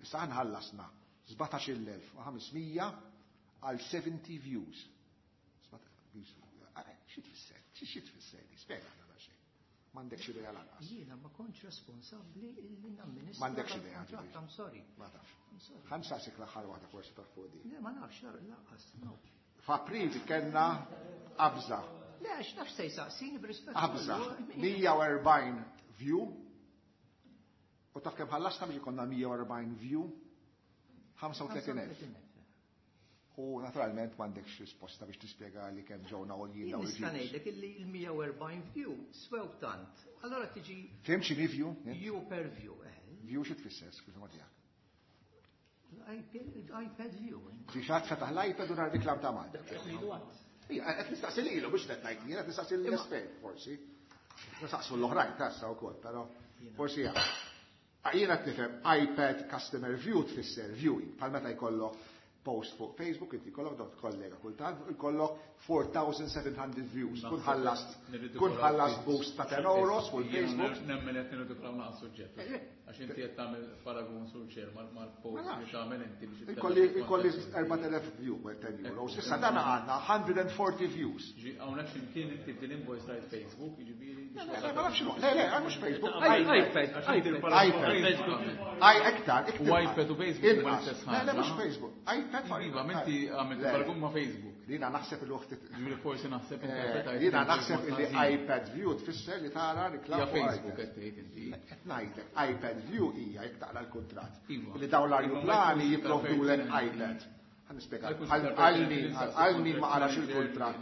Issa ħallasna sbatax-il elf u ħames mija għal seventy views. Xi tfisser? Xi tfisser? Spjega għana xejn. M'għandekx idea lanqas.
Jiena ma kontx responsabbli illi namministra.
M'għandekx idea,
dal-kuntratt,
ġifieri.
I'm sorry.
Ma tafx.
I'm sorry.
Ħa nsaqsik l-aħħar waħda, forsi taf fuq di.
Le, ma nafx, lanqas, no.
F'April kellna qabża.
Le, għax nafx se jsaqsini b'rispett.
Qabża. mija u erbgħin view. U taf kemm ħallasna biex ikollna mija u erbgħin view? ħamsa u tletin elf. U naturalment m'għandekx risposta biex tispjega li kemm ġewna għoljin
Jien
dawn
nista'
il-views.
ngħidlek illi l-mija u erbgħin view swew tant. Allora tiġi
Fhimt x'inhi view?
view per view, eh.
View xi tfisser, skuża ma tiegħek.
iPad view.
Xi ħadd fetaħ l-iPad u nar reklam ta' Malta. Ija, qed nistaqsi lilu biex qed ngħid jien, qed nistaqsi l-espert forsi. Nistaqsu l-oħrajn tassa wkoll, però forsi jaf. Jiena qed nifhem iPad customer view tfisser viewing, bħal meta jkollok post fuq Facebook, inti kollok dot kollega kultant, ikollok four thousand seven hundred views. Kun ħallast, kun ħallast boost ta' ten euros fuq Facebook.
Nemmen qed nirridikolaw naqas suġġett. Għax inti qed tagħmel paragun sur chair mal-post li tagħmel inti biex
Ikolli ikolli erbat elef view, ten euros. Issa dan għandna one hundred forty views.
Ġi hawnhekk x'imkien inti f'din invoice rajt Facebook, jiġifieri.
Le, ma nafx, le, le, mhux Facebook.
iPad,
iPad. Ai, iktar, iktar.
U iPad u Facebook huma l-istess.
Le, le, mhux Facebook. iPad.
Iva, inti għamilt paragun ma' Facebook.
Jiena naħseb il-waqt.
Ġifieri forsi naħseb
Jiena naħseb li iPad view tfisser li tara reklam.
Ja, Facebook qed tgħid inti.
Qed ngħidlek, iPad view hija jekk taqra l-kuntratt. Li dawn l-ajruplani jipprovdulek iPad. Ħa nispjega. Għal min ma qarax il-kuntratt.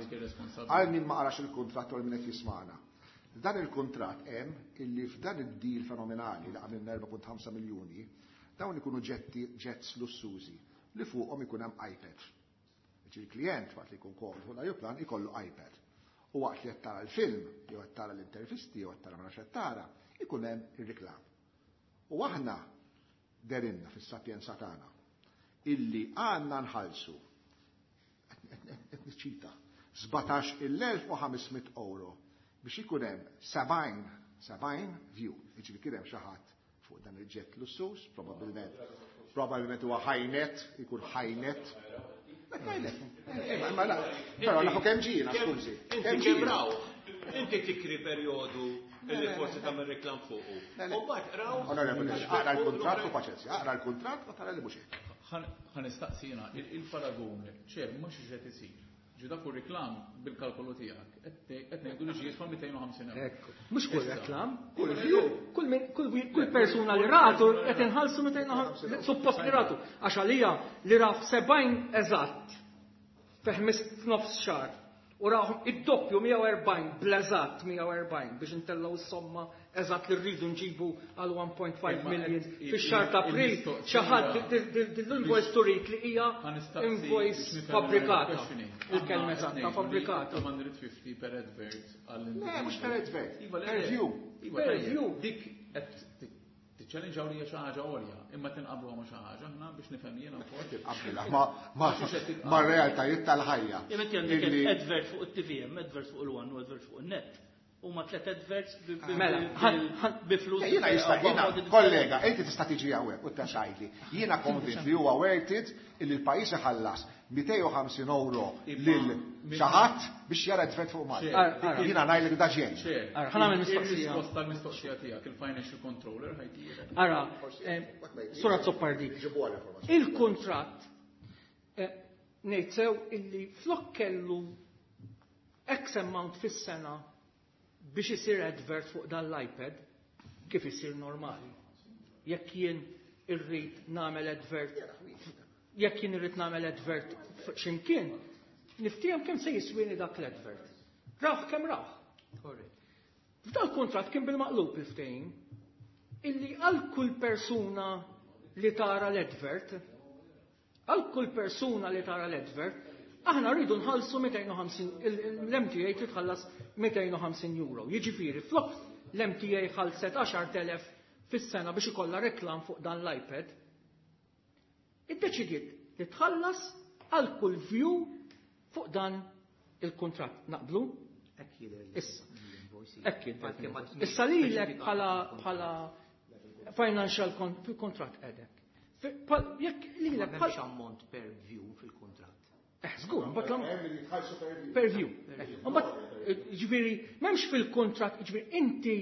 Għal min ma qarax il-kuntratt u min qed jismana. Dan il-kuntratt hemm illi f'dan id-deal fenomenali li għamilna erbgħa punt ħamsa miljuni, dawn ikunu ġetti jets lussużi li fuqhom ikun hemm iPad. Il-klient waqt li jkun komdu fuq l-ajruplan ikollu iPad. U waqt li qed tara l-film, jew qed tara l-intervisti, jew qed tara ma nafx qed tara, ikun hemm ir-reklam. U aħna derinna fis-sapjenza tagħna illi għandna nħallsu, qed niċċita, sbatax-il elf u ħames mitt euro biex ikun hemm sebgħin sebgħin view. Jiġifieri kien hemm xi ħadd fuq dan il-jet lussus, probabbilment probabbilment huwa high-net, ikun high-net. Però nafu kemm ġiena, skużi.
Inti kemm raw? Inti tikri perjodu illi forsi tagħmel reklam fuqu. U mbagħad raw.
Onorevoli, aqra l-kuntratt u paċenzja, aqra l-kuntratt u tara li mhux hekk.
Ħa nistaqsi jiena, il-paragun, ċer, mhux qed isir. Ġi dak reklam bil-kalkolu tiegħek, qed ngħidu li ġie jiswa mitejn u ħamsin euro.
Mhux kull reklam,
kull view.
Kull kull persuna li ratu qed inħallsu mitejn u ħamsin, suppost li ratu, għax għalija li raf sebgħin eżatt fi f'nofs xahar u rahom id-doppju mija u erbgħin bl-eżatt mija u erbgħin biex intellgħu s-somma eżatt li rridu nġibu għal one point five million fix-xahar ta' April, xi ħadd l-invoice turik li hija invoice fabbrikata. Il-kelma eżatta, fabbrikata.
two hundred fifty per advert għall
Le, mhux per advert.
Iva,
per view.
Iva,
Per view.
Dik qed tiċċellenġaw li hija xi ħaġa għolja, imma tinqablu ma' xi ħaġa aħna biex nifhem jiena wkoll.
Qabbilha ma ma ma realtajiet tal-ħajja.
Jekk għandek
Illi-
advert fuq it-T V M, advert fuq il-One u advert fuq il-net. Huma tliet adverts bi- bi-
Mela,
bi-
ħan- ħan-
bi flus.
Jiena jista' jiena kollega, inti tista' tiġi hawnhekk u tgħidli. Jiena konvint li huwa worth it illi l-pajjiż iħallas mitejn u ħamsin euro lil xi ħadd biex jara advert fuq Malta.
Ara, ara.
Jiena ngħidlek da ġej.
Chair,
Ara, ħa nagħmel mistoqsija.
Il-risposta tal-mistoqsija tiegħek, il-financial controller ħajtira.
Ara, eh, Sur Azzopardi,
Ġibu għal informazzjoni.
il-kuntratt eh, ngħid sew illi flok kellu X amount fis-sena biex isir advert fuq dan l-iPad, kif isir normali. Jekk jien irrid nagħmel advert, jekk jien irrid nagħmel advert fuq x'imkien, niftiehem kemm se jiswini dak l-advert. Raħ kemm raħ. F'dal kuntratt kien bil-maqlub il-ftehim illi għal kull persuna li tara l-advert, għal kull persuna li tara l-advert, aħna rridu nħallsu mitejn u ħamsin, l-M T A trid tħallas mitejn u ħamsin euro. Jiġifieri, flok l-M T A ħallset għaxart elef fis-sena biex ikollha reklam fuq dan l-iPad, iddeċidiet li tħallas għal kull view fuq dan il-kuntratt. Naqblu?
Hekk jidher
Issa.
l-invoice.
Hekk jidher.
Għalkemm ma
Issa lilek bħala bħala financial con- fil-kuntratt qegħdek. Fi- pa- Jekk
Ma
lilek
m'hemmx
bħala
ammont per view fil-kuntratt.
Eh, żgur, mbagħad l-
Hemm li jitħallsu per view.
Per view. Mbagħad ġifieri m'hemmx fil-kuntratt, ġifieri inti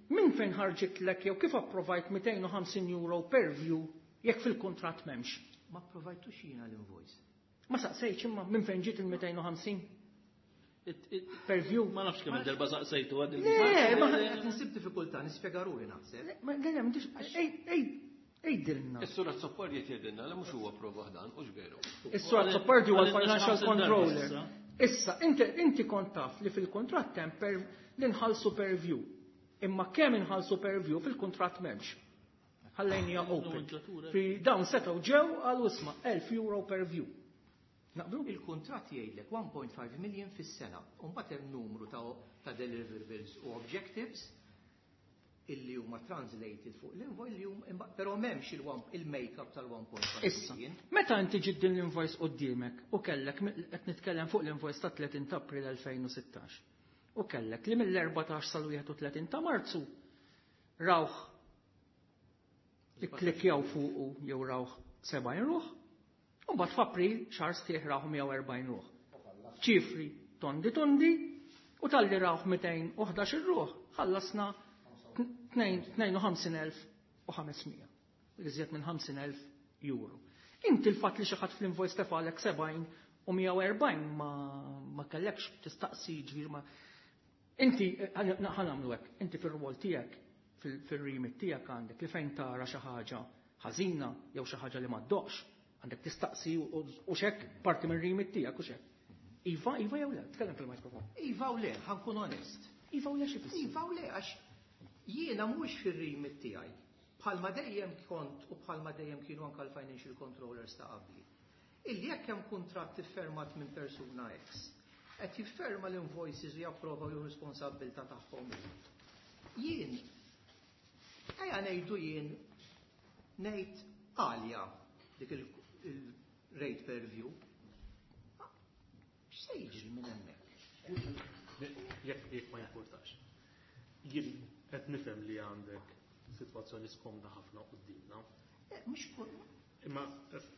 minn fejn ħarġitlek jew kif approvajt mitejn u ħamsin euro per view jekk fil-kuntratt m'hemmx?
Ma approvajtux jiena l-invoice.
Ma saqsejtx imma minn fejn ġiet il-mitejn u ħamsin
It- it-
per view.
Ma nafx kemm il-darba saqsejtu għad
Le, ma
Qed insib diffikultà nispjega ruħi naħseb.
Ma le, le, m'dix, ej, ej, ejdilna.
Is-sur Azzopardi qed jgħidilna li mhux huwa prova dan, hux veru.
Is-sur Azzopardi huwa
Għalina
l-financial
x'ħamsin darba
controller.
issa.
Issa, inti, inti kont taf li fil-kontratt hemm per li nħallsu per view. Imma kemm inħallsu per view fil-kontratt m'hemmx. Ħallejnija open.
Nomenklatura.
Fi dawn setgħu ġew għal isma' elf euro per view. Naqblu?
Il-kuntratt jgħidlek one point five million fis-sena. U mbagħad hemm numru ta' ta' deliverables u objectives. Illi huma translated fuq l-invoice li huma, però m'hemmx il-make-up tal-one point five
Issa,
million.
Meta inti ġid din l-invoice quddiemek u kellek, qed nitkellem fuq l-invoice ta' tletin ta' April elfejn u sittax, u kellek li mill-erbatax sal-wieħed u tletin ta' Marzu rawh, ikklikjaw fuqu jew rawh sebgħin ruħ, u mbagħad f'April xahar sħiħ rawh mija u erbgħin ruħ. Ċifri tondi tondi, u talli rawh mitejn u ħdax ruħ, ħallasna tnejn u ħamsin elf u ħames mija. Iżjed minn ħamsin elf euro. Inti l-fatt li xi ħadd fl-invoice tefalek sebgħin u mija u erbgħin ma, ma kellekx tistaqsi, ġifieri ma. Inti, ħa nagħmlu hekk, inti fir-rwol tiegħek, fil-remit tiegħek għandek li fejn tara xi ħaġa ħażina jew xi ħaġa li ma ddoqx, għandek tistaqsi u xek parti minn remit tiegħek u xek. Iva, iva jew le, tkellem fil-mikrofon.
Iva u le, ħa nkun onest.
Iva u le xi fisser?
Iva u le, għax jiena mhux fir-remit tiegħi. Bħalma dejjem kont u bħalma dejjem kienu anka l-financial controllers ta' qabli. Illi jekk hemm kuntratt iffirmat minn persuna X, qed jifferma l-invoices u japprova ju responsabbiltà tagħhom. Jien ejja ngħidu jien ngħid għalja dik il-rate per view. X'se jiġri minn hemmhekk?
Jekk jekk ma jimpurtax. Jien qed nifhem li għandek sitwazzjoni skomda ħafna qudiemna.
Eh, mhux kull
Imma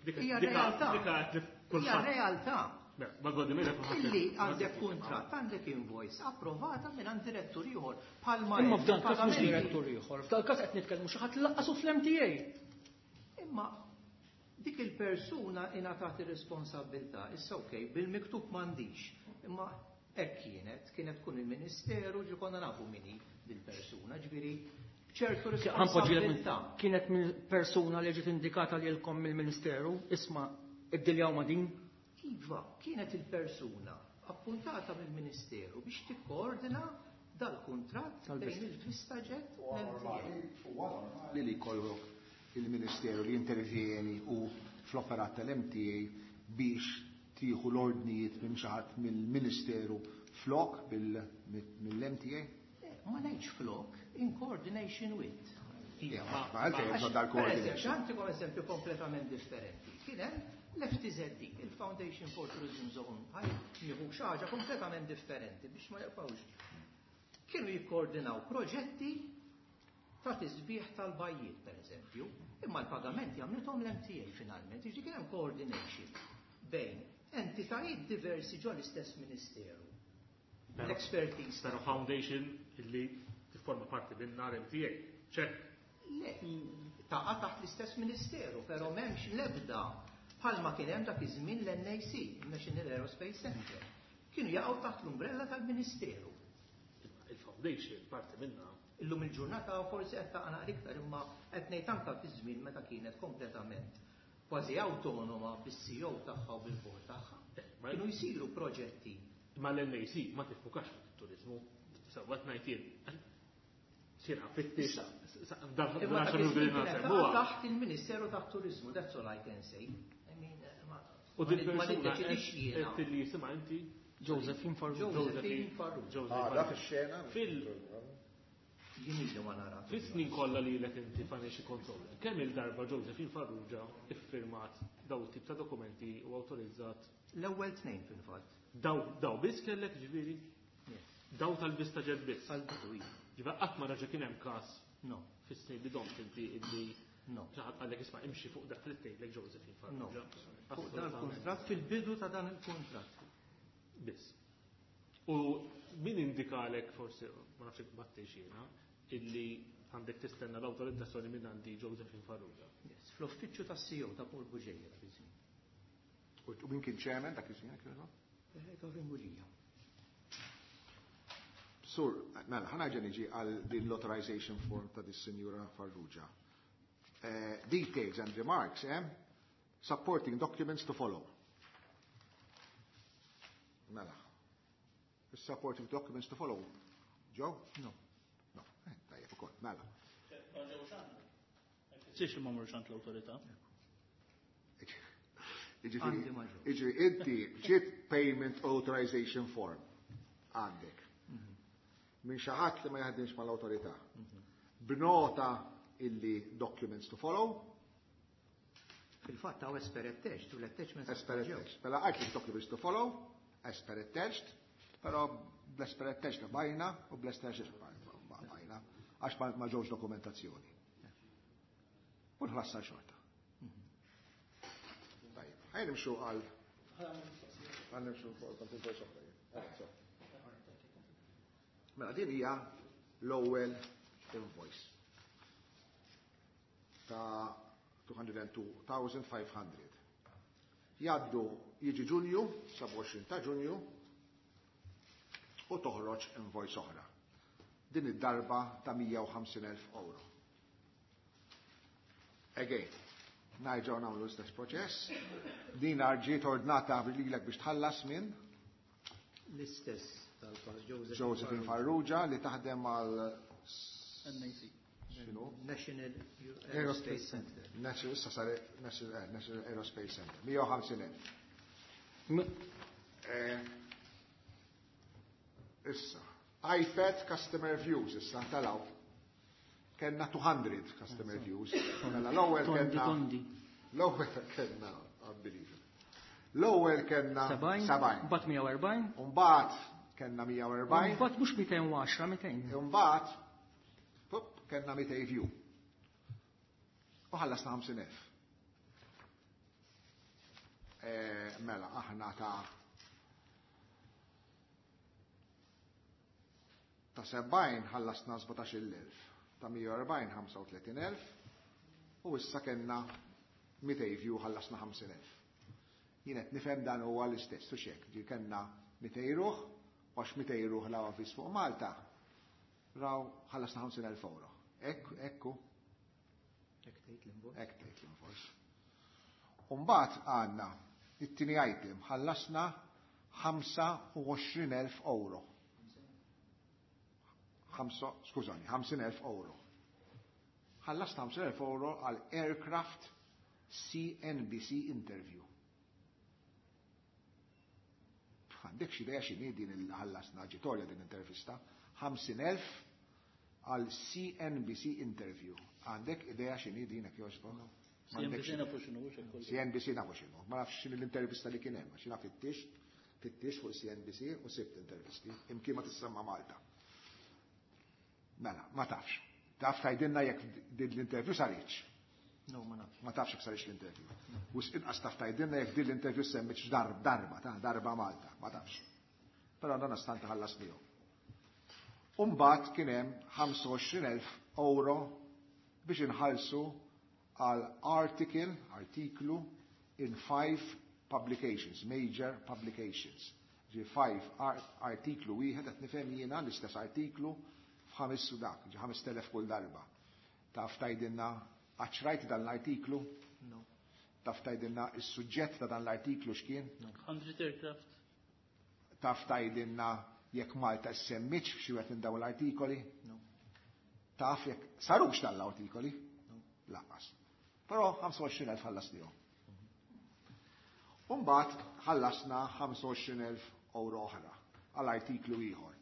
dik
Hija realtà.
Dik
Hija
kulħadd.
realtà.
Ma għoddi mela kulħadd.
Illi għandek kuntratt, għandek invoice approvata minn għand direttur ieħor bħalma
Imma f'dan każ mhux
pagamenti.
direttur ieħor, f'dan każ qed nitkellmu xi ħadd laqqasu fl-M T A.
Imma dik il-persuna ingħatat ir-responsabilità, issa okej, bil-miktub m'għandix. Imma hekk kienet, kienet tkun il-Ministeru, ġi konna nafu min hi dil-persuna, ġifieri ċertu
Ħa npoġġilek
responsabilità.
Kienet minn persuna li ġiet indikata lilkom mill-Ministeru, isma' iddiljaw ma' din.
Iva, kienet il-persuna appuntata mill-Ministeru biex tikkoordina dal-kuntratt bejn il-VistaJet u l-M T A.
Li li jkollok il-Ministeru li intervjeni u fl-operat tal-M T A biex tieħu l-ordnijiet minn xi ħadd mill-Ministeru flok mill-M T A?
Eh, ma ngħidx flok, in coordination with.
Ma għalfejn bżonn
Per
dal-coordination.
eżempju, għantikom eżempju kompletament differenti. Kien hemm l-F T Z D, il-Foundation for Tourism Zone, ħaj nieħu xi ħaġa kompletament differenti biex ma jaqbawx. Kienu jikkoordinaw proġetti ta' tisbieħ tal-bajjiet, per eżempju, imma l-pagamenti għamlithom l-M T A finalment, jiġi kien hemm coordination bejn entitajiet diversi ġo l-istess ministeru. L-expertise.
Pero foundation illi tifforma parti minn l-M T A. ċek.
Le, taqa' taħt l-istess ministeru, pero m'hemmx l-ebda bħalma kien hemm dak iż-żmien l-N A C, National Aerospace Center. Kienu jaqgħu taħt l-umbrella tal-Ministeru.
Il-foundation parti minna.
Illum il-ġurnata forsi qed taqa' naqra iktar, imma qed ngħid anke fi żmien meta kienet kompletament kważi awtonoma bis-C E O tagħha u bil-board tagħha.
Ma-
Kienu jsiru proġetti.
Ma l-N A C ma tiffukax fuq it-turizmu. Sewwa ngħid jien. Sira fittix. Dan
Imma dak
xi
iż-żmien kienet taqa'
nsemmuha.
taħt il-Ministeru tat-Turizmu, that's all I can say. I mean, eh, ma
U din
ma
persuna
niddeċidix jiena.
qed li jisimha inti?
Josephine Farrugia.
Josephine Farrugia.
Ah, da fix-xena.
Fil
Jien ilu ma nara.
Fis-snin kollha li lek inti financial controller, kemm il-darba Josephine Farrugia iffirmat daw tip ta' dokumenti u awtorizzat?
L-ewwel tnejn fil-fatt.
Daw daw biss kellek, ġifieri?
Yes.
Daw tal-VistaJet biss.
Tal-bidu iva.
Ġifieri qatt ma raġa kien hemm każ
No.
fis-snin li domt inti illi
No.
xi ħadd qalek isma' imxi fuq dak li tgħidlek Josephine
No.
Farrugia.
Fuq dan il-kuntratt, fil-bidu ta' dan il-kuntratt.
Biss. U min indikalek, forsi ma nafx jekk battix jiena, illi għandek tistenna l-awtorizzazzjoni minn għandi Josephine Farrugia?
Yes, fl-uffiċċju tas-C E O ta' Paul Bugeja dak iż-żmien.
U min kien chairman dak iż-żmien kienu?
Eh, Gavin Gulia.
Sur, mela, ħa nerġa' niġi għal din l-authorization form ta' dis-Sinjura Farrugia. Eh, details and remarks, eh? Supporting documents to follow. Mela. Supporting documents to follow. Joe?
No.
No. Eh, tajjeb ukoll, mela.
Siex li ma morrux għand l-awtorità.
Iġifieri,
Għandi ma ġew.
Iġifieri, inti ġiet payment authorization form għandek. Minn xi ħadd li ma jaħdimx mal-awtorità. B'nota illi documents to follow.
Fil-fatt hawn as per attached u l-attachments
As per attached. Mela għajt documents to follow, as per attached, però bl-as per attached bajna u bl-as per attached bajna, għax ma ġewx dokumentazzjoni. U nħlassa xorta. Tajjeb, ħajn nimxu għal għal nimxu fuq. Mela din hija l-ewwel invoice ta' two hundred and two thousand five hundred. Jaddu jiġi Ġunju, sebgħa u għoxrin ta' Ġunju, u toħroġ invoice oħra. Din id-darba ta' mija u ħamsin elf euro. Again, nerġgħu nagħmlu l-istess proċess. Din ġiet ordnata lilek biex tħallas minn
l-istess tal-Pas Joseph
Josephine Farrugia li taħdem għal
N A C.
X'inhu?
National Aerospace Center.
National, issa sar National, eh, National Aerospace Center. mija u ħamsin elf. Eh, issa, iPad customer views, issa talaw. Kenna two hundred customer views. Mela l-ewwel
Tondi,
kenna
tondi.
L-ewwel kenna, unbelievable. L-ewwel kenna
Sebgħin,
sebgħin.
Mbagħad mija u erbgħin.
Mbagħad kenna mija u erbgħin.
Mbagħad mhux mitejn u għaxra, mitejn.
Mbagħad, pup, kenna mitejn view. U ħallasna ħamsin elf. Eh, mela, aħna ta' ta' sebgħin ħallasna sbatax-il elf, ta' mija u erbgħin ħamsa u tletin elf, u issa kenna mitejn view ħallasna ħamsin elf. Jien qed nifhem dan huwa l-istess, u xek, ġi kenna mitejn ruħ, u għax mitejn ruħ la avviż fuq Malta, raw ħallasna ħamsin elf euro. Ekku, ekku.
Hekk tgħid l-invoice.
Hekk tgħid l-invoice. U mbagħad għandna it-tieni item ħallasna ħamsa u għoxrin elf euro. Ħamsa, skużani, ħamsin elf euro. Ħallasna ħamsin elf euro għal aircraft C N B C interview. Għandek xi idea x'inhi din il-ħallasna ġitorja din intervista? ħamsin elf għal C N B C interview. Għandek idea x'inhi din hekk jogħġbok?
No. C N B C nafu x'inhu, mhux hekk kollu.
C N B C nafu x'inhu. Ma nafx x'inhi l-intervista li kien hemm, għax jiena fittix, fittix fuq C N B C u sibt intervisti, imkien ma tissemma Malta. Mela, ma tafx. Taf tgħidilna jekk din l-interview saritx.
No, ma nafx.
Ma tafx jekk saritx l-interview. U inqas taf tgħidilna jekk din l-interview semmitx darb-, darba, ta' darba Malta, ma tafx. Però dan stant ħallas miegħu. U mbagħad kien hemm ħamsa u għoxrin elf euro biex inħallsu għal article, artiklu in five publications, major publications. Ġi five art-, artiklu wieħed qed nifhem jiena l-istess artiklu f'ħames u dak, ġi ħames telef kull darba. Taf tgħidilna għax rajt dan l-artiklu?
No.
Taf tgħidilna is-suġġett ta' dan l-artiklu x'kien?
No.
hundred aircraft.
Taf tgħidilna jekk Malta semmitx f'xi wieħed minn dawn l-artikoli?
No.
Taf jekk sarux dan l-artikoli?
No.
Lanqas. Però ħamsa u għoxrin elf ħallasnihom. U mbagħad ħallasna ħamsa u għoxrin elf euro oħra għal artiklu ieħor.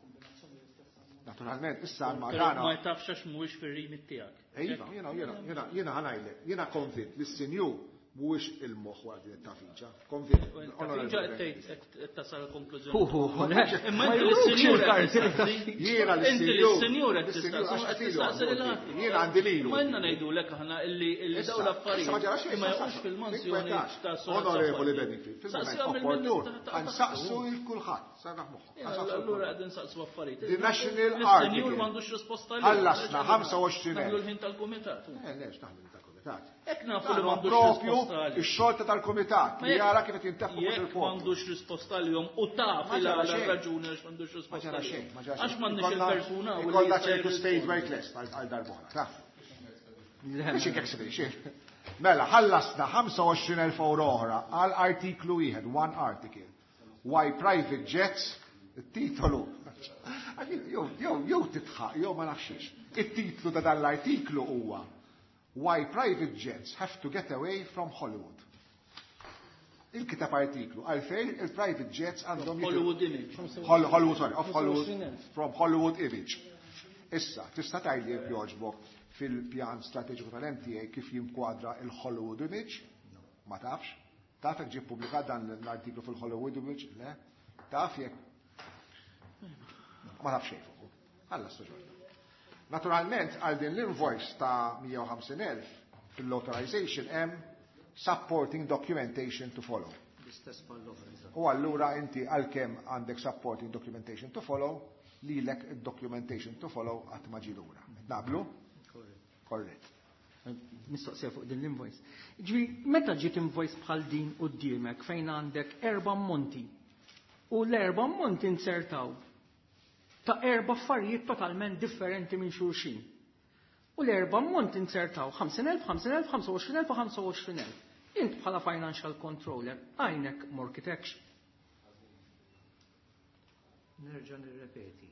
Naturalment, issa ma
Però
dana
ma tafx għax mhuwiex fir-remit tiegħek.
Iva, jiena, jiena, jiena, jiena ħanajlek, jiena konvint li s-sinjur mhuwiex il-moħħ wara din it-tafiġa. Konvint.
Tafiġa qed tgħid qed tasal konklużjoni.
Hu, hu, hu, le.
Imma
Ma
inti
jurux
lis-sinjur
il-karti.
qed tistaqsi.
Jiena
Inti
lis-sinjur.
lis-sinjur qed
Lis-sinjur,
tistaqsi,
għax
qed
qed ilu
tistaqsi lil
għandu.
ħadd.
Jiena għandi lilu.
Ma jenna ngħidulek aħna illi illi
Issa,
dawn l-affarijiet
issa ma ġara xejn,
ma
issa,
jaqgħux
issa.
fil-mansjoni
Tinkwetax.
ta' Sora
Onorevoli
Zappalli.
Benefit, fil-moment
Saqsi għamil
opportun,
minn ta'
ħansaqsu
ta'
lil kulħadd, sarraħ moħħok.
Jena,
Ħansaqsu lil
allura
kulħadd.
qegħdin nsaqsu affarijiet.
The National
Lis-sinjur
Article.
m'għandux risposta għalih.
Ħallasna ħamsa u għoxrin
Naħlu
elf.
l-ħin tal-kumitat.
Eh, lex, naħlu l-ħin tal-kumitat.
Hekk nafu
Dan
li
huwa
m'għandux
propju
risposta għalih.
ix-xogħol ta' tal-kumitat
Ma
li
jekk
jara kif qed jintefqu fuq
jekk
il-poplu.
m'għandux risposta għalihom u taf
Ma
il
ġara
għala
xejn.
raġuni għax m'għandux
Ma
risposta
ġara
għalihom.
xejn, ma ġara
Għax
xejn.
m'għandniex
Ikollna-
il-persuna u li
ikollna
jista'
ċertu state
jirrispondi.
work list għal għal darb'oħra, taf.
Le,
Biex inkek xejn. Mela, ħallasna ħamsa u għoxrin elf euro oħra għal artiklu wieħed, one article. Why private jets, it-titolu. Jew, jew, jew titħaq, jew ma nafxiex. It-titlu ta' dan l-artiklu huwa Why Private Jets Have to Get Away from Hollywood. Il-kitab artiklu għalfejn il-private jets għandhom jitilqu.
Hollywood image.
Hol-, Hollywood, sorry, of Hollywood, from Hollywood image. Issa, tista' tgħidli jekk jogħġbok fil-pjan strateġiku tal-M T A kif jinkwadra il-Hollywood Image? Ma tafx? Taf jekk ġie ppubblikat dan l-artiklu fil-Hollywood Image? Le? Taf jekk? Ma taf xejn fuqu. Alla staġorna. Naturalment, għal din l-invoice ta' mija u ħamsin elf fil-authorization hemm supporting documentation to follow.
L-istess bħall-oħra.
U allura inti għalkemm għandek supporting documentation to follow, lilek il-documentation to follow qatt ma ġie lura. Naqblu? Korrett.
Mistoqsija fuq din l-invoice. Ġifieri, meta ġiet invoice bħal din quddiemek fejn għandek erba' ammonti u l-erba' ammonti insertaw ta' erba' affarijiet totalment differenti minn xulxin. U l-erba' ammonti insertaw ħamsin elf, ħamsin elf, ħamsa u għoxrin elf u ħamsa u għoxrin elf. Int bħala financial controller, għajnek m'għorkitekx?
Nerġa' nirrepeti.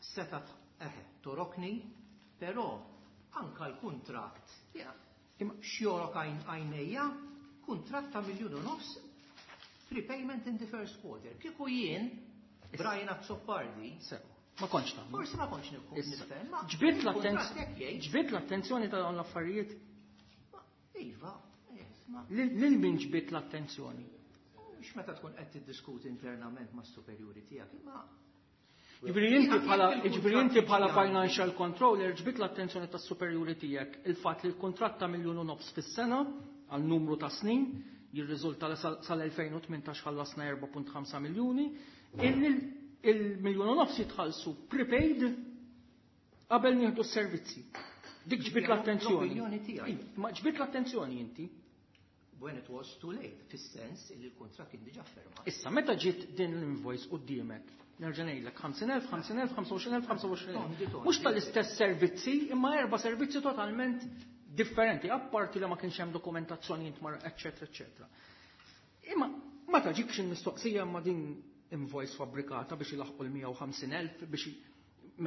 Setat eħe, togħrokni, però anka l-kuntratt. X'jogħrok għajnejja, kuntratt ta' miljun u nofs prepayment in the first quarter. Kieku jien, Brian Azzopardi,
Sew, ma kontx tagħmel.
Forsi ma kontx nifhem. Ma
Ġbidt
il-kuntratt hekk jgħid.
Ġbidt l-attenzjoni ta' dawn l-affarijiet?
Iva, yes, ma
Lil lil min ġbidt l-attenzjoni?
Mhux meta tkun qed tiddiskuti internament mas-superjuri tiegħek, imma
Ġifieri inti bħala
Jekk
ġifieri inti bħala
il-kuntratt
financial controller ġbidt l-attenzjoni tas-superjuri tiegħek il-fatt li l-kuntratt ta' miljun u nofs fis-sena għal numru ta' snin jirriżulta li sal-elfejn u tmintax ħallasna erbgħa punt ħamsa miljuni, illi il-miljun u nofs jitħallsu prepaid qabel nieħdu s-servizzi. Dik ġbidt l-attenzjoni.
L-opinjoni tiegħi.
Ma ġbidt l-attenzjoni inti.
When it was too late, fis-sens li l-kuntratt kien diġà firmat.
Issa, meta ġiet din l-invoice quddiemek, nerġa' ngħidlek ħamsin elf, ħamsin elf, ħamsa u għoxrin elf, ħamsa u għoxrin elf.
Tondi, tondi.
Mhux tal-istess servizzi, imma erba' servizzi totalment differenti, apparti li ma kienx hemm dokumentazzjoni intmar, eċċetera, eċċetera. Imma ma taġikx il-mistoqsija ma din invoice fabbrikata biex ilaħqu l-mija u ħamsin elf biex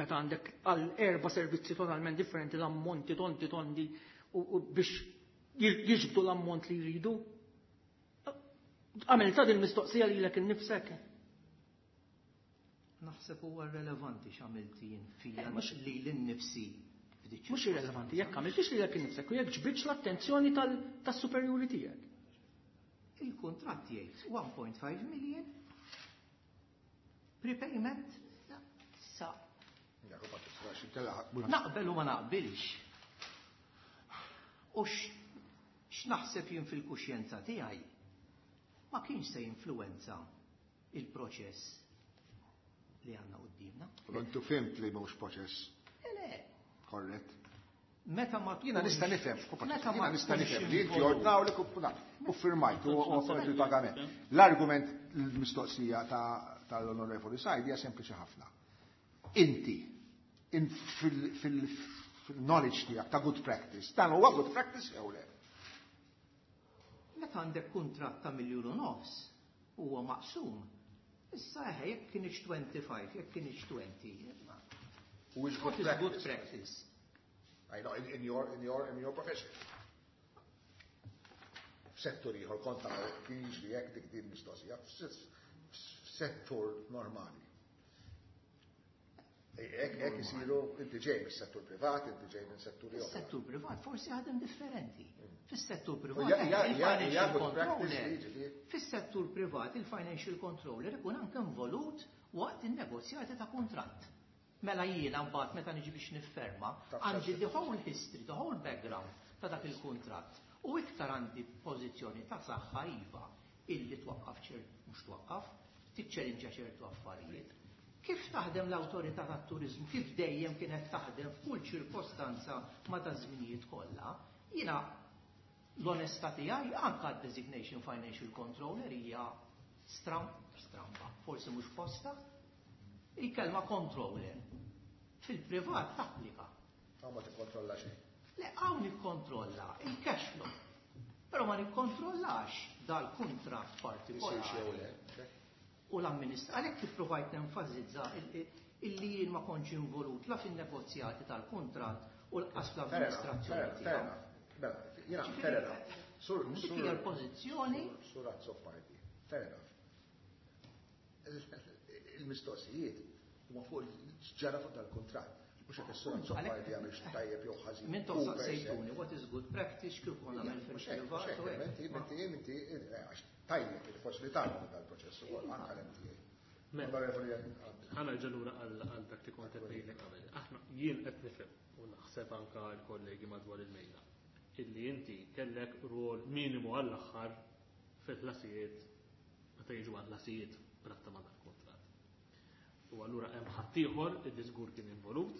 meta għandek għal erba' servizzi totalment differenti l-ammonti tondi tondi u, u biex jiġbdu l-ammont li jridu? Għamil ta' din mistoqsija lilek innifsek?
Naħseb huwa relevanti x'għamilt jien fija
Eh, mhux-
li l-nifsi.
Mhux irrelevanti, jekk għamiltix lilek innifsek u jekk ġbidx l-attenzjoni tas-superjuri tiegħek.
Il-kuntratt jgħid one point five million prepayment sa naqbel u ma naqbilx. U x'naħseb jien fil-kuxjenza tiegħi ma kienx se jinfluwenza il-proċess li għandna qudiemna.
Intu fhimt li mhux proċess
Le,
korrett.
Meta ma
Jiena nista' nifhem,
Meta ma
jiena nista'
tkunx
nifhem li inti
involut.
ordnawlek u firmajt u offert il-pagament. L-argument, l-mistoqsija tal-Onorevoli Said hija sempliċi ħafna. Inti, fil-knowledge tiegħek ta' good practice, dan huwa good practice jew le?
Meta għandek kuntratt ta' miljun u nofs, huwa maqsum. Issa eħe, jekk kienx twenty-five, jekk kienx twenty.
Who is
What
good
is good
practice?
Practice?
I know, in, in your, in your, in your profession. F'settur ieħor kont taraw kien jiġri hekk dik din mistoqsija, f'settur normali. Hekk hekk isiru, inti ġej mis-settur privat, inti ġej minn settur ieħor.
Fis-settur privat forsi ħadem differenti. Fis-settur privat
Hija- hija- hija- hija
il-financial
good practice
controller.
li jiġifieri.
Fis-settur privat il-financial controller ikun anke involut waqt in-negozjati ta' kuntratt. Mela jiena mbagħad meta niġi biex nifferma, għandi the whole history, the whole background ta' dak il-kuntratt. U iktar għandi pożizzjoni ta' saħħa iva illi twaqqaf ċert, mhux twaqqaf, tiċċellinġa ċertu affarijiet. Kif taħdem l-awtorità tat-turizmu, kif dejjem kienet taħdem f'kull ċirkostanza ma' ta' żminijiet kollha, jiena l-onestà tiegħi anke designation financial controller hija stram, stramba, forsi mhux posta, il-kelma controller fil-privat tapplika.
Hawn ma tikkontrolla xejn.
Le, hawn nikkontrolla il-cash flow. Però ma nikkontrollax dal-kuntratt partikolari. U l-amministra, għalhekk kif provajt nenfasizza illi jien ma kontx involut la fin-negozjati tal-kuntratt u lanqas l-amministrazzjoni tiegħu.
Mela, jiena, fair enough. Sur,
Dik hija l-pożizzjoni.
Sur Azzopardi, fair enough. Il-mistoqsijiet huma fuq ġara fuq dal-kuntratt. Mhux hekk is-sura Azzopardi għamilx tajjeb jew ħażin.
Minn tof saqsejtuni, what is good practice, kif konna nagħmel fil-privat.
Inti, inti, inti, għax tajjeb li forsi li tagħmel dal-proċess ukoll anke l-M T A. Onorevoli.
Ħa nerġa' lura għal dak li kont qed ngħidlek qabel. Aħna jien qed nifhem u naħseb anke l-kollegi madwar il-mejda illi inti kellek rwol minimu għall-aħħar fil-ħlasijiet meta jiġu għall-ħlasijiet b'rabta ma' dal-kuntratt. U allura hemm ħaddieħor illi żgur kien involut,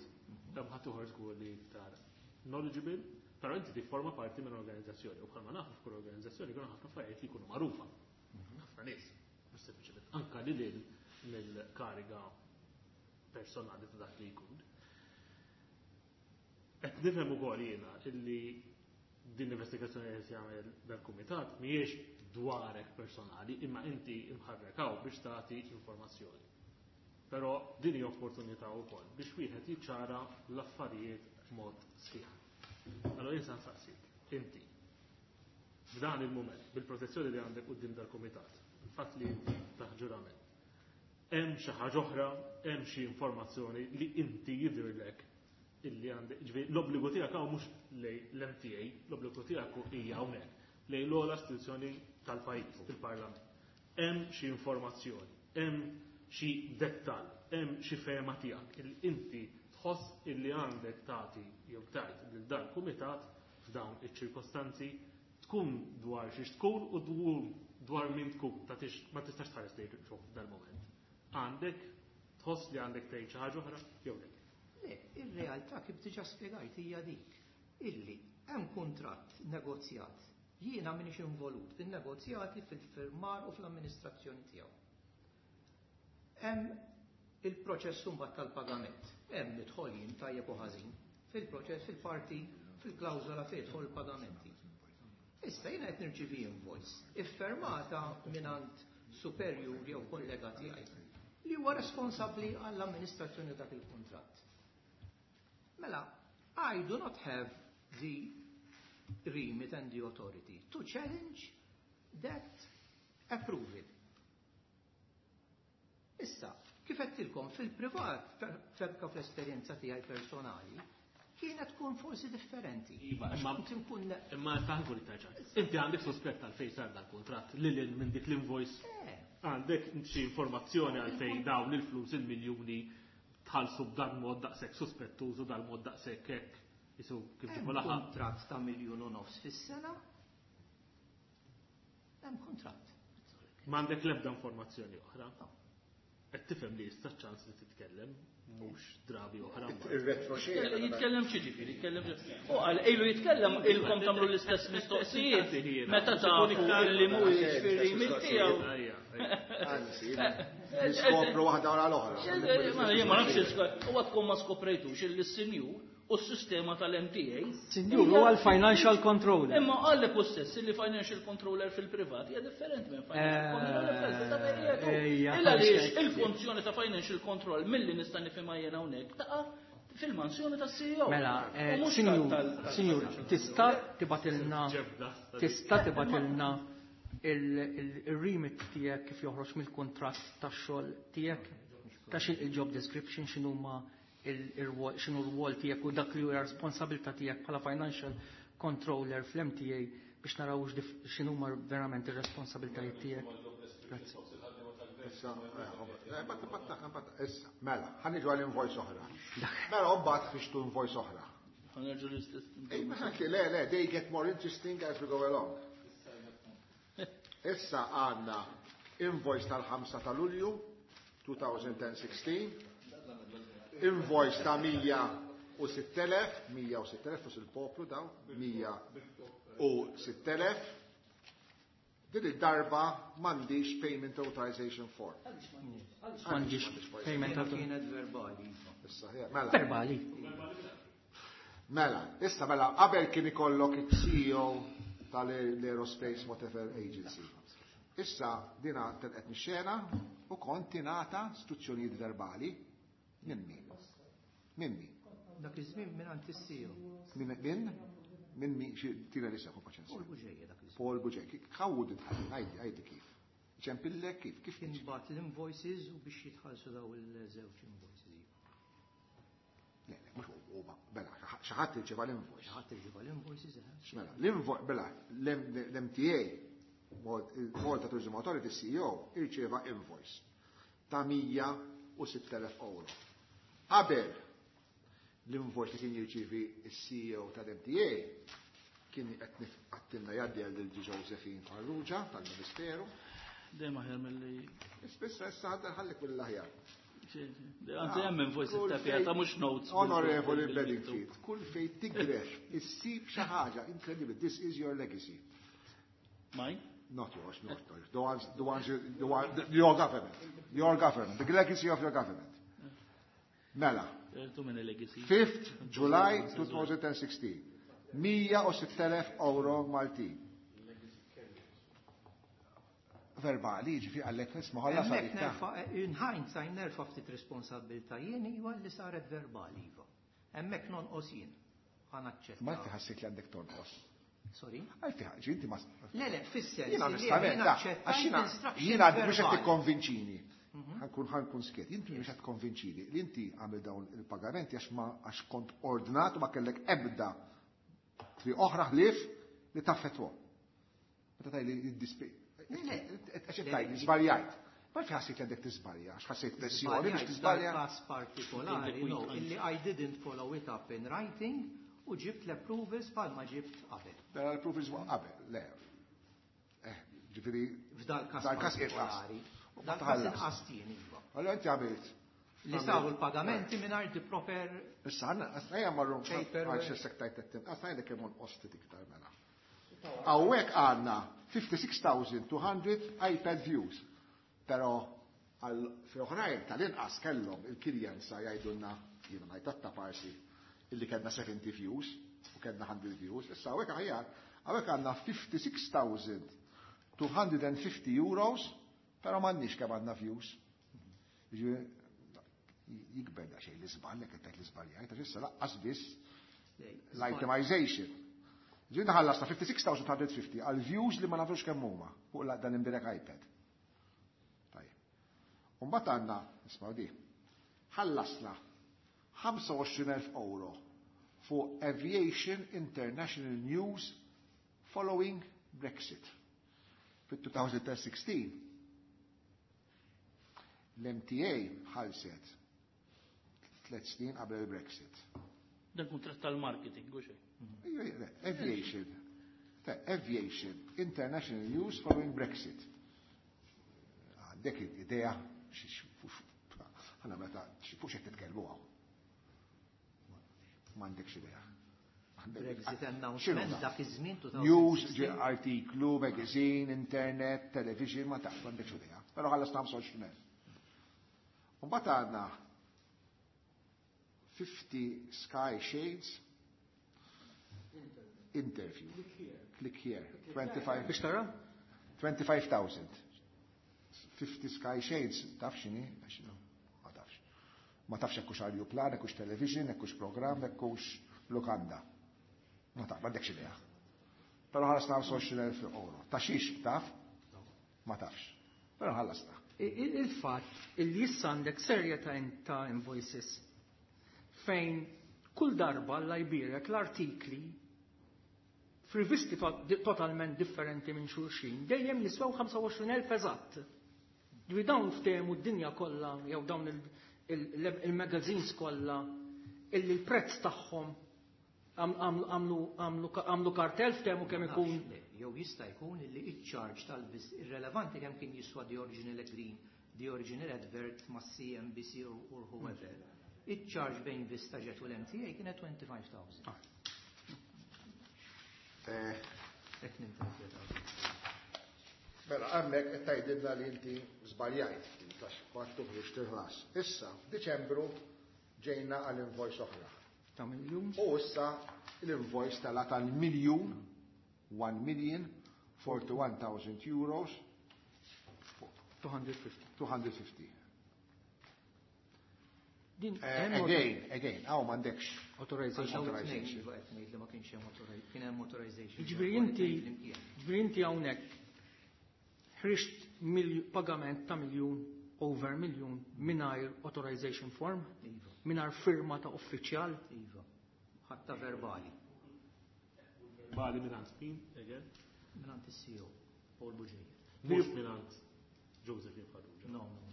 hemm ħaddieħor żgur li iktar knowledgeable, però inti tifforma parti minn organizzazzjoni u bħalma nafu f'kull organizzazzjoni jkunu ħafna affarijiet li jkunu magħrufa. Ħafna nies, mhux sempliċement anka lil hinn mill-kariga personali ta' dak li jkun. Qed nifhem ukoll jiena illi din l-investigazzjoni li qed jagħmel dal-kumitat mhijiex dwarek personali, imma inti imħarrek hawn biex tagħti informazzjoni. Però din hija opportunità wkoll biex wieħed jiċċara l-affarijiet b'mod sħiħ. Allora jien se nsaqsik, inti f'dan il-mument, bil-protezzjoni li għandek quddiem dal-kumitat, il-fatt li inti taħt ġurament, hemm xi ħaġa oħra, hemm xi informazzjoni li inti jidhirlek illi għandek, ġifieri l-obbligu tiegħek hawn mhux lejn l-M T A, l-obbligu tiegħek hija hawnhekk lejn l-ogħla istituzzjoni tal-pajjiż, il-Parlament. Hemm xi informazzjoni, hemm xi dettall, hemm xi fehma tiegħek illi inti tħoss illi għandek tagħti jew tgħid lil dan kumitat f'dawn iċ-ċirkostanzi, tkun dwar xiex tkun u dwar dwar min tkun, tagħtix ma tistax tħares lejn fuq dal-moment. Għandek tħoss li għandek tgħid xi ħaġa oħra jew le?
Le, ir-realtà kif diġà spjegajt hija dik illi hemm kuntratt negozjat. Jiena m'iniex involut fin-negozjati, fil-firmar u fl-amministrazzjoni tiegħu. Hemm il-proċess mbagħad tal-pagament. Hemm nidħol jien tajjeb u ħażin fil-proċess, fil-parti, fil-klawżola fejn jidħol il-pagamenti. Issa jiena qed nirċivi invoice iffirmata mingħand superjur jew kollega tiegħi li huwa responsabbli għall-amministrazzjoni dak il-kuntratt. Mela, I do not have the remit and the authority to challenge that approval. Issa, kif għedtilkom fil-privat, febka fl-esperjenza tiegħi personali, kienet tkun forsi differenti.
Iva,
Għax
imma-
kont inkun
Imma taħgur iktar. Inti għandek sospett għalfejn sar dal-kuntratt lil hinn minn dik l-invoice?
Eh,
Għandek xi informazzjoni għalfejn dawn il-flus, il-miljuni, tħallsu b'dan mod daqshekk suspettuż u dal-mod daqshekk hekk jisu kif
Hemm
ġibu laħaq?
kuntratt ta' miljun u nofs fis-sena. Hemm kuntratt.
M'għandek l-ebda informazzjoni oħra?
No.
Qed tifhem li jista' ċans li titkellem mhux drabi oħra mbagħad.
Ir-retroxena.
Jitkellem xi ġifieri, jitkellem. U qal ilu jitkellem ilkom tagħmlu l-istess mistoqsijiet meta tafu illi mhuwiex fir-remit tiegħu.
Ejja, ejja.
Anzi, niskopru waħda wara l-oħra.
Ma jien ma nafx, huwa tkun ma skoprejtux illi s-sinjur u s-sistema tal-M T A.
Sinjur, huwa l-financial controller.
Imma għallek u stess li financial controller fil-privat hija differenti minn financial controller fil-privat.
Ejja,
Illa għaliex il-funzjoni ta' financial control, milli nista' nifhimha jien hawnhekk, taqa' fil-mansjoni ta' C E O.
Mela, eh,
U mhux
sinjur,
tal- tal-
sinjur, tista' tibgħatilna
Ġebda.
tista' tibgħatilna il-remit tiegħek kif joħroġ mill-kuntratt tax-xogħol tiegħek, ta' xin il-job description, x'inhuma il-rwol, x'inhu r-rwol tiegħek u dak li huwa responsabilità tiegħek bħala financial controller fl-M T A biex naraw x'inhuma verament ir-responsabilitajiet tiegħek. Grazzi.
Issa, eh, batta, batta, batta, issa, mela, ħa niġu għal invoice oħra. Mela, mbagħad fixtu invoice oħra.
Ħa nerġgħu l-istess.
Ej, ma anke, le, le, they get more interesting as we go along. Issa għandna invoice tal-ħamsa ta' Lulju elfejn u sittax, invoice ta' mija u sitt elef, mija u sitt elef fus il-poplu daw, mija u sitt elef. Din id-darba m'għandix payment authorization form.
M'għandix payment author-
Kienet verbali.
Issa, ja, mela.
Verbali.
Mela, issa mela, qabel kien ikollok il-C E O tal-Aerospace whatever agency. Issa dina telqet mix-xena u kont tingħata istruzzjonijiet verbali minn min? Minn min?
Dak iż-żmien minn għand is-C E O.
Min min? Min min xi tina li seħu paċenzja.
Paul Bugeja dak iż-żmien.
Paul Bugeja. How did it happen? Għajdi, għajdi kif. Ċempillek kif? Kif
Kien bagħat l-invoices u biex jitħallsu daw il-żewġ invoices.
Le, le, mhux Huma, mela, xi ħadd irċieva l-invoice.
Xi ħadd irċieva l-invoices, eh.
Mela, l-invoice, mela, l-M T A, Malta Tourism Authority C E O, irċieva invoice ta' mija u sitt elef euro. Qabel l-invoice li kien jirċievi il-C E O tal-M T A kien qed nifqattilna jgħaddi għal lil Josephine Farrugia tal-Ministeru.
Dejjem aħjar milli.
Spissa issa ħadda ħallik mill-aħjar.
Anzi, hemm invoice ittapjata, mhux notes.
Onorevoli Bedingfield, kull fej tigref, issib xi ħaġa incredible. This is your legacy.
Mine?
Not yours, not yours. The ones, the ones, you, the one, the, your government. Your government. The legacy of your government. Mela.
Too many legacy.
fifth July twenty sixteen. mija u sitt elef euro Maltin. Verbali, ġifi għallek nisma ħalla
Hemmhekk
sarita.
nerfa', in hindsight nerfa' ftit responsabbiltà jien, iva, li saret verbali, iva. Hemmhekk nonqos jien. Ħa naċċetta.
Ma inti ħassejt li għandek tonqos.
Sorry?
Għalfi ħaġa, inti ma.
Le, le, fis-sens
Jiena
li
onestament,
jiena
da,
aċċettajt
għax jiena
instructions
jiena mhux qed
verbali.
tikkonvinċini. Ħa nkun ħa nkun skiet. Inti mhux qed tikkonvinċini li inti għamil dawn il-pagamenti għax ma għax kont ordnat u ma kellek ebda triq oħra ħlief li taffetwa. Meta tajli jiddispi.
Le, le.
Għax tajli żbaljajt. Ma fi ħassejt li għandek tiżbalja, għax ħassejt pressjoni biex tiżbalja.
Każ partikolari, no, illi I didn't follow it up in writing u ġibt l-approvals bħalma ġibt qabel.
Mela l-approvals qabel, le. Eh, ġifieri
F'dal każ
Dal-każ inqas.
partikolari.
U ma
Dal każ
tħallas.
inqas jien, iva.
Allora inti għamilt.
Li saru l-pagamenti mingħajr the proper
Issa għanna, ejja marru
paperwork.
għal xessek tajt t-tim, għasna jgħidek kemm onqosti iktar mela. Hawnhekk għandna fifty-six thousand two hundred iPad views. Pero għal fi oħrajn tal-inqas kellhom il-kirjenza jgħidulna, jiena ngħid ta' parsi, illi kellna seventy views u kellna one hundred views. Issa hawnhekk aħjar, hawnhekk għandna fifty-six thousand two hundred fifty euros, pero m'għandniex kemm għandna views. Jiġifieri, jikber da xejn l-iżball, jekk qed l-iżbaljajt, għax issa laqqas biss l-itemization. Ġiena ħallasna fifty-six thousand two hundred fifty għal views li ma nafux kemm huma fuq la- dan imbirek iPad. Tajjeb. U mbagħad għandna, ismgħu di, ħallasna ħamsa u għoxrin elf euro fuq Aviation International News following Brexit. Fit-twenty sixteen l-M T A ħalset tliet snin qabel il-Brexit.
Dan kuntratt tal-marketing, u xejn.
Aviation. Ta' Aviation International News following Brexit. Għandek idea ħana meta fuq xed titkellmu hawn. M'għandekx idea.
Brexit announcement dak iż-żmien
News,
twenty sixteen.
ġi artiklu, magazine, internet, television, ma taf, m'għandekx idea. Però ħallasna ħamsa u għoxrin elf. U mbagħad għandna fifty Sky Shades interview. Click here. twenty-five.
Biex tara?
twenty-five thousand. fifty Sky Shades, taf x'inhi? Ma tafx. Ma tafx jekkux ajruplan, jekkux television, jekkux program, jekkux lukanda. Ma taf, m'għandekx idea. Però ħallasna ħamsa u għoxrin elf euro. Ta' xiex taf? Ma tafx. Però ħallasna.
Il-fatt illi issa għandek serje ta' in- ta' invoices fejn kull darba alla jbirek l-artikli f'rivisti to- di- totalment differenti minn xulxin, dejjem jiswew ħamsa u għoxrin elf eżatt. Ġifieri dawn ftehmu d-dinja kollha jew dawn il- il- il-magazines kollha illi l-prezz tagħhom għam- għamlu għamlu- għamlu għamlu kartel, ftehmu kemm ikun.
Le, jew jista' jkun illi iċ-charge tal-vis irrelevanti kemm kien jiswa the original green, the original advert ma' C N B C or, or whoever. Iċ-charge bejn Vista Jet u l-M T A kienet twenty-five thousand.
Eh,
Hekk ninterpretaw.
Mela, għammek qed tgħidilna li inti żbaljajt ftit għax kwattu biex tirħlas. Issa, f'Diċembru ġejna għal invoice oħra.
Ta' miljun.
U issa l-invoice tala tal-miljun, one million, forty-one thousand euros,
two hundred fifty.
two hundred fifty.
Din
Eh,
hemm
Again, again, għaw m'għandekx.
authorization.
Authorization.
Iva, qed ngħid li ma kienx hemm authori- kien hemm authorization.
Ġifieri inti ġifieri inti hawnhekk ħriġt milju- pagament ta' miljun, over miljun, mingħajr authorization form,
Iva,
mingħajr firma ta' uffiċjal.
Iva. Ħatta verbali.
Verbali mingħand min, again?
Mingħand is-C E O, Paul Bugeja.
Mhux mingħand Josephine Farrugia.
No, no.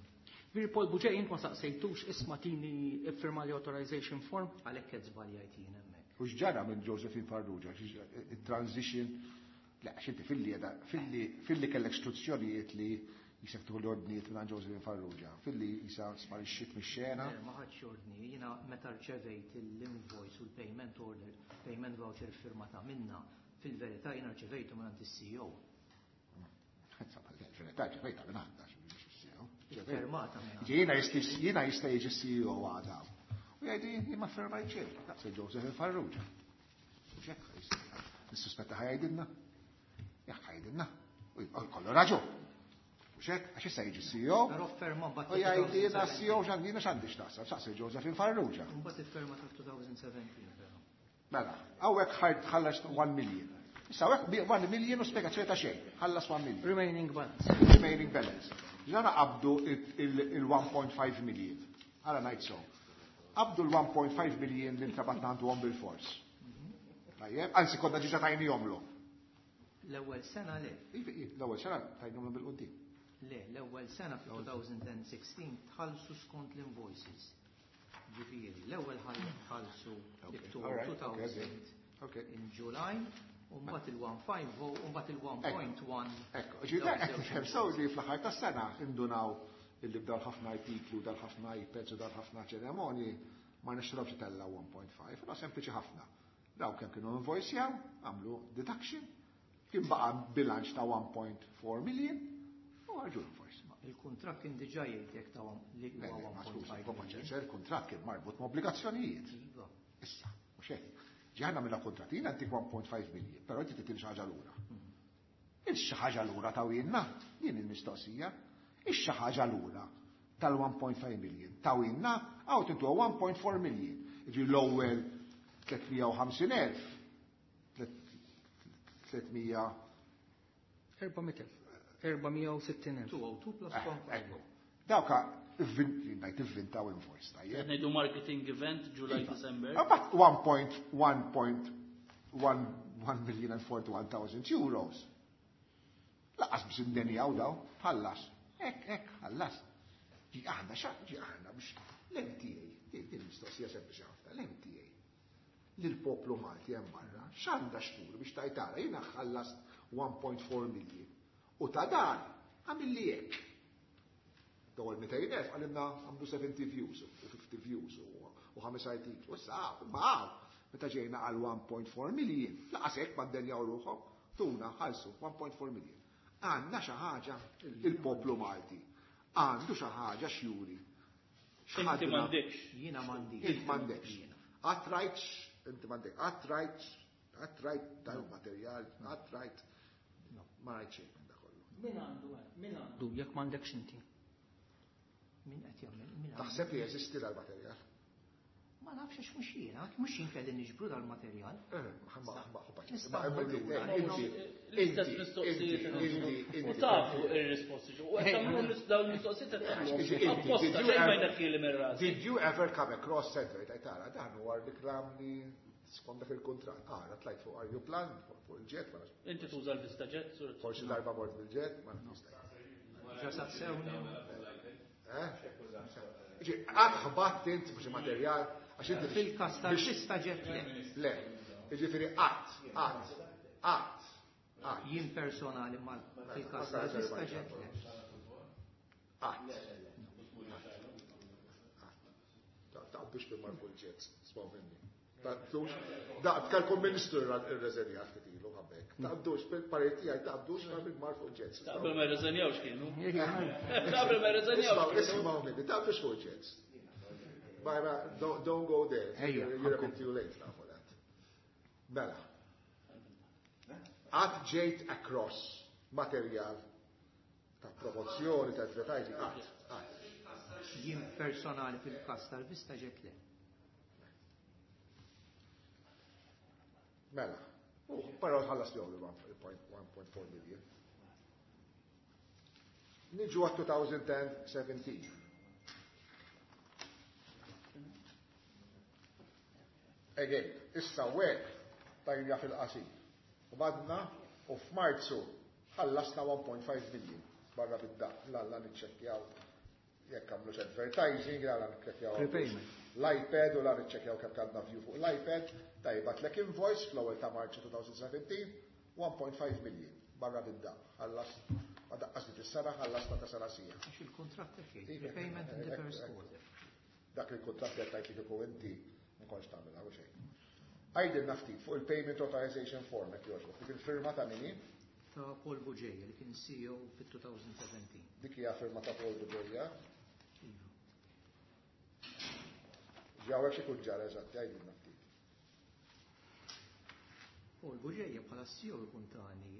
Veri Paul Bugeja jint ma saqsejtux isma' tini iffirma li authorization form?
Għalhekk qed żbaljajt jien hemmhekk.
U x'ġara minn Josephine Farrugia? Il-transition, le, għax inti filli filli filli kellek istruzzjonijiet li jisek tuħu l-ordnijiet minn Josephine Farrugia, filli jisa sparixxiet mix-xena.
Ma ħadx ordni, jiena meta rċevejt l-invoice u l-payment order, payment voucher firmata minna, fil-verità jiena rċevejtu minn is-C E O.
Fil-verità rċevejta minn għandha, C E O.
Firmata minn.
Jiena jiena jista' jiġi C E O għada. U jgħidi jien ma firmajt xejn, daqs Josephine Farrugia. U x'hekk nissuspetta ħa jgħidilna. Jekk ħa jgħidilna. U jkollu raġun. U x'hekk, għax issa jiġi C E O.
Però ferma mbagħad.
U jgħid jiena C E O x'għandina x'għandi x'taqsam, saqsi Josephine Farrugia.
Mbagħad iffirma ta' elfejn u sbatax però.
Mela, hawnhekk ħart ħallas one million. Issa hawnhekk one million u spjegazzjoni ta' xejn, ħallas one million.
Remaining balance.
Remaining balance. Ġara qabdu il-one point five million. Għara ngħid so. Qabdu l-one point five million li ntrabatna għandu għom bil-fors. Tajjeb, anzi konna ġiġa tajnihomlu.
L-ewwel sena le.
L-ewwel sena tajnihomlu bil-qudiem.
Le, l-ewwel sena fil-elfejn u sittax tħallsu skont l-invoices. Ġifieri, l-ewwel ħallsu October two thousand in July, u mbagħad il-one point five u mbagħad il-one point one.
Ekku, ġifieri qed nifhem sew li fl-aħħar tas-sena indunaw illi b'dal ħafna artiklu, dal ħafna iPads u dal ħafna ċeremonji ma nixtrobx tella one point five, no sempliċi ħafna. Daw kemm kienu invoice għamlu deduction, kien baqa bilanċ ta' one point four million u ħarġu invoice.
Il-kuntratt kien diġà jgħid ta' li huwa one point five.
Il-kuntratt kien marbut ma' obbligazzjonijiet.
Iva.
Issa, mhux hekk. Ġaħna mill kontratina għantik one point five million, però inti titil xi ħaġa lura. Il xi ħaġa lura tawilna, din il-mistoqsija, ix xi ħaġa lura tal-one point five million. Tawilna, għaw tintu one point four million. Ġi l-ewwel tliet mija u ħamsin elf, tliet mija
erba' mitt elf. erba' mija u sittin elf.
two oh two plus one point five.
Dawka, ngħid ivvintaw invoice, tajjeb.
Ngħidu marketing event July December.
About one point one point one million and forty-one thousand euros. Lanqas biex indenjaw daw, ħallas. Ek, ek, ħallas. Ġi aħna xa, ġi aħna biex l-M T A, din mistoqsija sempliċi ħafna, l-M T A. Lill-poplu Malti hemm barra, x'għandha xtur biex tajtara jiena ħallast one point four million. U ta' dan għamilli hekk. Dawal mitejn elf għalimna għamlu seventy views u fifty views u ħames artiklu. Issa, ma meta ġejna għal one point four million, lanqas hekk ma ddenjaw ruħhom, tuna ħalsu one point four million. Għandna xi ħaġa il-poplu Malti. Għandu xi ħaġa xjuri.
Inti m'għandekx.
Jiena m'għandix.
Inti m'għandekx. Qatt rajt, inti m'għandek, qatt rajt, qatt rajt tal-materjal, qatt rajt, ma rajt xejn minn da kollu.
Min għandu, min għandu, jekk m'għandekx inti?
Min qed jagħmel? Min għandu?
Taħseb li jeżisti dal-materjal?
Ma nafx għax mhux jiena, mhux jien kelli niġbru dal-materjal.
Eh, ma- ma- ma-
Nista'
ma-
nmur lura.
Inti,
L-istess
inti,
mistoqsijiet.
inti,
U
inti.
tafu ir-risposti. U qed tagħmlu dawn il-mistoqsijiet qed tagħmlu.
Inti,
Apposta
did you
xejn ma
ever-
jneħħieli minn rasi.
Did you ever come across center tara dan huwa reklam li skont dak il-kontratt. Ah, tlajt fuq ajruplan, fuq il-jet, ma nafx.
Inti tuża l-Vista Jet, sur.
Forsi darba mort bil-jet, ma nafx.
Ġa saqsewni.
Eh? Ġi, qatt ħbatt int biex materjal, għax inti
Fil-każ tal-Vista Jet le.
Le, jiġifieri qatt, qatt, qatt, qatt.
Jien personali ma fil-każ tal-Vista Jet le.
Qatt. Taqbux bil mar fuq il-jet, smaw minni. Taqbux, da, tkalkom ministru irreżenja ftit ilu ħabbek. Taqbdux, bil-pareti għaj, taqbdux bil mar fuq il-jets.
Qabel ma rreżenjawx kienu. Qabel ma rreżenjawx kienu.
Ismaw minni, taqbdux fuq il-jets. Bara, don't, don't go there.
Ejja,
You're, you're a bit too late now for that. Mela. Qatt ġejt across materjal ta' promozzjoni, ta' advertising, qatt, qatt.
Jien personali fil-każ tal-Vista Jet le.
Mela. U, però ħallas li one point four million. Niġu għat twenty seventeen. Again, issa wek tajna fil-qasir. U badna u f'Marzu ħallasna one point five million barra bid-daq. Lalla niċċekkjaw jekk għamlux advertising, lalla niċċekkjaw l-iPad u la niċċekkjaw kemm kellna view fuq l-iPad. Tajba tlek invoice fl-ewwel ta' Marzu twenty seventeen, one point five million barra bid-daq. Ħallas ma daqqas li fis-sena, ħallasna ta' sena sija.
Għax il-kuntratt hekk jgħid, prepayment in the first quarter.
Dak il-kuntratt li qed tgħid li kieku inti ma kontx tagħmilha u xejn. Għidilna ftit fuq il-payment authorization form qed jogħġbok, dik il-firma ta' min hi?
Ta' Paul Bugeja li kien C E O fit-twenty seventeen.
Dik hija firma ta' Paul Bugeja?
Iva.
Ġawek xi kun ġara eżatt, għidilna ftit.
Paul Bugeja bħala C E O ikun tani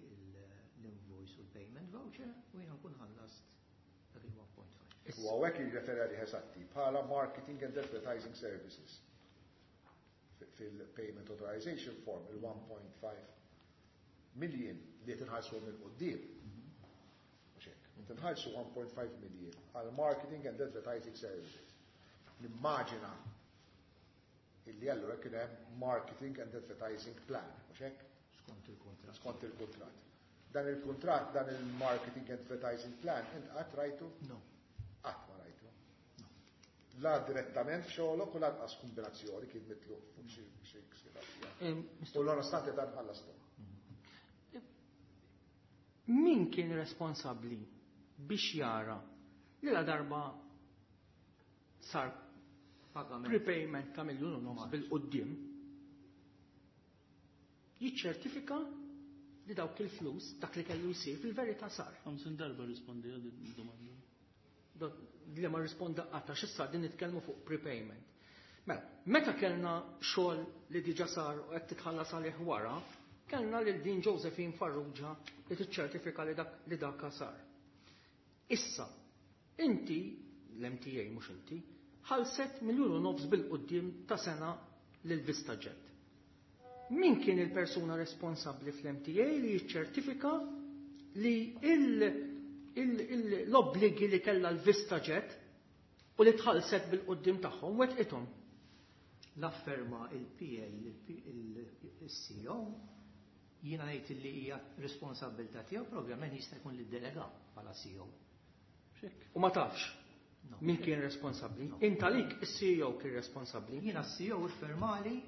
l-invoice u l-payment voucher u jiena nkun ħallast dak il-one point five.
U hawnhekk jirreferi għalih eżatti bħala Marketing and Advertising Services. Fil-payment authorization form il-one point five million li tinħallsu minn quddiem. Mhux hekk. Tinħallsu one point five million għal Marketing and Advertising Services. Nimmaġina illi allura kien hemm Marketing and Advertising Plan, mhux hekk?
Skont il-kuntratt.
Skont il-kuntratt. Dan il-kuntratt, dan il-Marketing and Advertising Plan, int qatt rajtu?
No.
Qatt ma rajtu. La direttament f'xogħolok u lanqas kombinazzjoni kien mitluq fuq xi xi ksira. U l-onostante dan ħallastu.
Min kien responsabbli biex jara li la darba sar
pagament
prepayment ta' miljun u nofs bil-qoddim jiċċertifika li dawk il-flus dak li kellu jsir fil-verità sar?
Ħamsin darba rispondi għal din id-domanda.
Li ma risponda qatt għax issa din nitkellmu fuq prepayment. Mela, meta kellna xogħol li diġà sar u qed titħallas għalih wara, kellna lil din Josephine Farrugia li tiċċertifika li dak li dak sar. Issa, inti, l-M T A mhux inti, ħalset miljun u nofs bil-quddiem ta' sena lil VistaJet. Min kien il-persuna responsabbli fl-M T A li jiċċertifika li il-, il-, il-, l-obbligi li kellha l-VistaJet u li tħallset bil-quddiem tagħhom wettqithom?
L-afferma il-P A, il-C E O, jiena ngħid li hija responsabilità tiegħu, ovvjament jista' jkun li ddelega bħala C E O.
Xek.
U ma tafx
No.
min kien responsabbli?
No.
Inta lik is-C E O kien responsabbli.
Jiena s-C E O iffirmali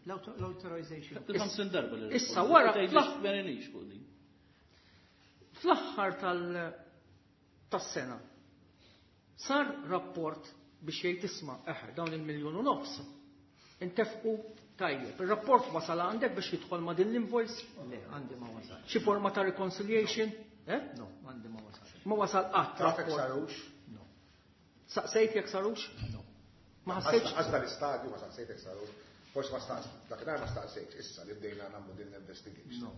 l-authorization.
Ħamsin darba li
Issa
rispondi.
wara
Tgħidlix
fl-aħ-
meninix fuq din.
Fl-aħħar tal-, tas-sena sar rapport biex jgħid isma' eħe dawn il-miljun u nofs intefqu tajjeb. Ir-rapport wasal għandek biex jidħol ma' din l-invoice?
Le, għandi ma wasal.
Xi forma ta' reconciliation? Eh?
No, għandi ma wasal.
Ma wasal qatt
Taf jekk
rapport.
sarux?
No.
Saqsejt jekk sarux?
No.
Ma ħassejtx?
Għazda l-istadju ma saqsejt jekk sarux. Forsi ma staqs, dakinhar ma staqsejtx, issa li bdejna nagħmlu din l-investigation.
No.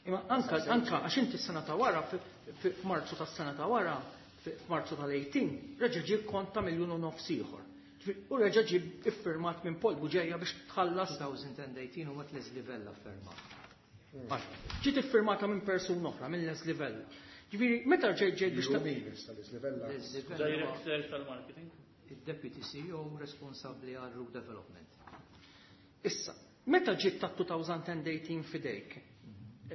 Imma anka, anka għax inti s-sena ta' wara, fi-, fi-, f'Marzu tas-sena ta' wara, fi-, f'Marzu tal-eighteen, reġa' ġie kont ta' miljun u nofs ieħor. U reġa' ġie iffirmat minn Paul Bugeja biex tħallas.
twenty eighteen u mat Leslie Vella ffirmat.
Ġiet iffirmata minn persuna oħra, minn Leslie Vella. Ġifieri, meta ġejt ġejt biex ta'
Min issa Leslie Vella?
Leslie Vella.
Director tal-marketing.
Il-Deputy C E O responsabbli għal Route Development.
Issa, meta ġiet ta' two thousand eighteen fidejk,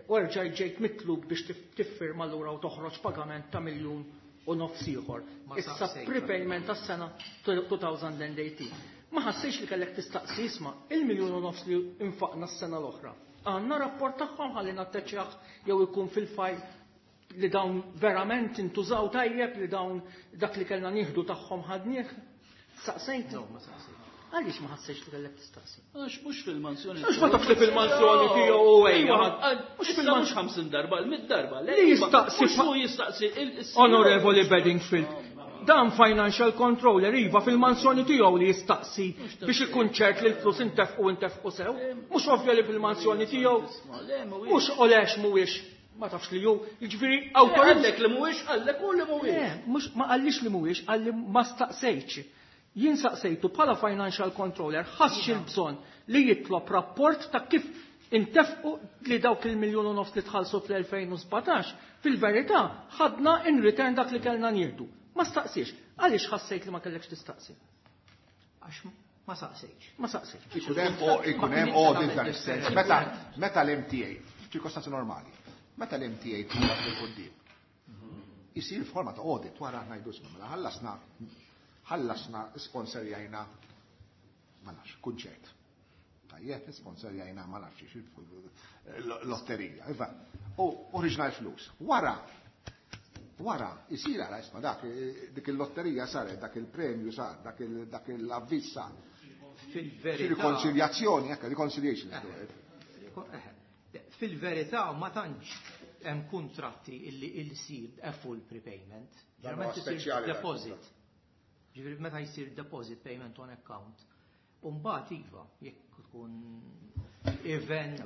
u rġajt ġejt mitlub biex tif-, tiffirma lura u toħroġ pagament ta' miljun u nofs ieħor.
Ma
Issa
saqsejtx.
prepayment tas-sena two thousand eighteen. Ma ħassejx li kellek tistaqsi isma' il-miljun u nofs li infaqna s-sena l-oħra. Għandna rapport tagħhom ħalli natteċjaħ jew ikun fil-fajl li dawn verament intużaw tajjeb, li dawn dak li kellna nieħdu tagħhom ħadnieh. Saqsejt?
No, ma saqsejt.
Għaliex ma ħassejx li kellek tistaqsi?
Għax mhux fil-mansjoni.
Għax ma tafx li fil-mansjoni tiegħu u ejja.
Mhux fil-mansjoni mhux ħamsin darba, l-mid darba.
Li jistaqsi
Mhux hu jistaqsi il-, il-,
Onorevoli Bedingfield, dan financial controller iva fil-mansjoni tiegħu li jistaqsi biex ikun ċert li l-flus intefqu intefqu sew. Mhux ovvja li fil-mansjoni tiegħu. Mhux olex mhuwiex. Ma tafx li hu, jiġifieri awtorizz-
Għallek li mhuwiex, għallek u li mhuwiex.
Le, mhux ma qallix li mhuwiex, qalli ma staqsejtx. Jien saqsejtu bħala financial controller ħassx il-bżonn li jitlob rapport ta' kif intefqu li dawk il-miljun u nofs li tħallsu fl-elfejn u sbatax, fil-verità ħadna in return dak li kellna nieħdu. Ma staqsiex. Għaliex ħassejt li ma kellekx tistaqsi?
Għax Ma saqsejx.
Ma saqsejx.
Ikun hemm ikun hemm audit dan is-sens. Meta meta l-M T A, f'ċirkostanzi normali, meta l-M T A tħallas bil-quddiem, isir forma ta' audit wara, ngħidu isma' mela ħallasna ħallasna sponsorjajna, ma nafx, kunċert. Tajjeb, sponsorjajna, ma nafx, lotterija. Iva, u ħriġna l-flus. Wara, wara, isir għara isma' dak, dik il-lotterija saret, dak il-premju sar, dak il-avviż sar.
Fil-verità.
Rikonċiljazzjoni, ekka, reconciliation.
Eh, fil-verità ma tantx hemm kuntratti illi jsir a full prepayment.
Dan
isir deposit. Ġifieri meta jsir deposit payment on account. Umbagħad iva, jekk tkun event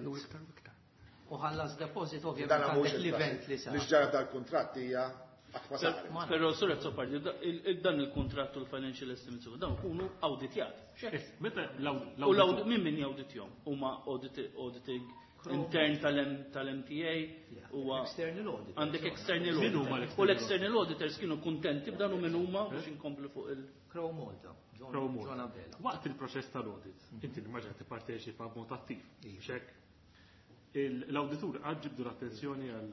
u ħallas deposit, ovvjament għandek l-event li sar.
Li ġara dal-kuntratt hija qatt ma saret.
Però, Sur Azzopardi, dan il-kuntratt u l-financial estimates dawn ikunu awditjati.
Meta
U l min min jawditjom? Huma auditing intern tal-M T A huwa
External audit.
Għandek external
Min huma
auditor. U l-external auditors kienu kontenti b'dan u min huma biex inkomplu fuq il-
Crowe Malta. John
Crowe Malta.
John Abela.
Waqt il-proċess tal-audit, inti nimmaġina tipparteċipa b'mod attiv. Xek, l-awditur għad ġibdu l-attenzjoni għal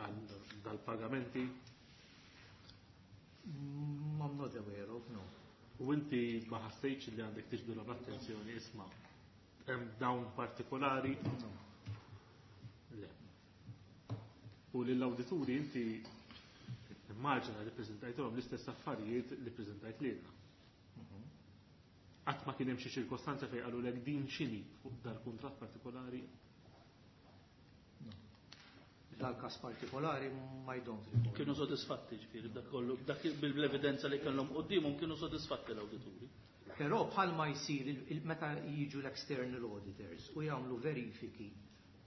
għal dal-pagamenti?
Mm, I'm not aware of, no.
U inti ma ħassejtx li għandek tiġbdu l-attenzjoni, isma' hemm dawn partikolari? Le. U lill-awdituri inti immaġina li preżentajthom l-istess affarijiet li preżentajt lilna. Qatt ma kien hemm xi ċirkostanza fejn qalulek din x'inhi fuq dal-kuntratt partikolari?
Dal-kas partikolari ma I don't recall.
Kienu sodisfatti ġifieri dak kollu, dak bil-evidenza li kellhom quddiemhom kienu sodisfatti l-awdituri.
Però bħalma jsir il- il- meta jiġu l-external auditors u jagħmlu verifiki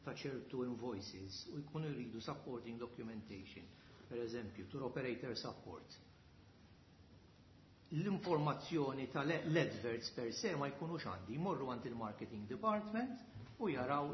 ta' ċertu invoices u jkunu jridu supporting documentation, per eżempju, tour operator support. L-informazzjoni tal-adverts per se ma jkunux għandi, jmorru għand il-marketing department u jaraw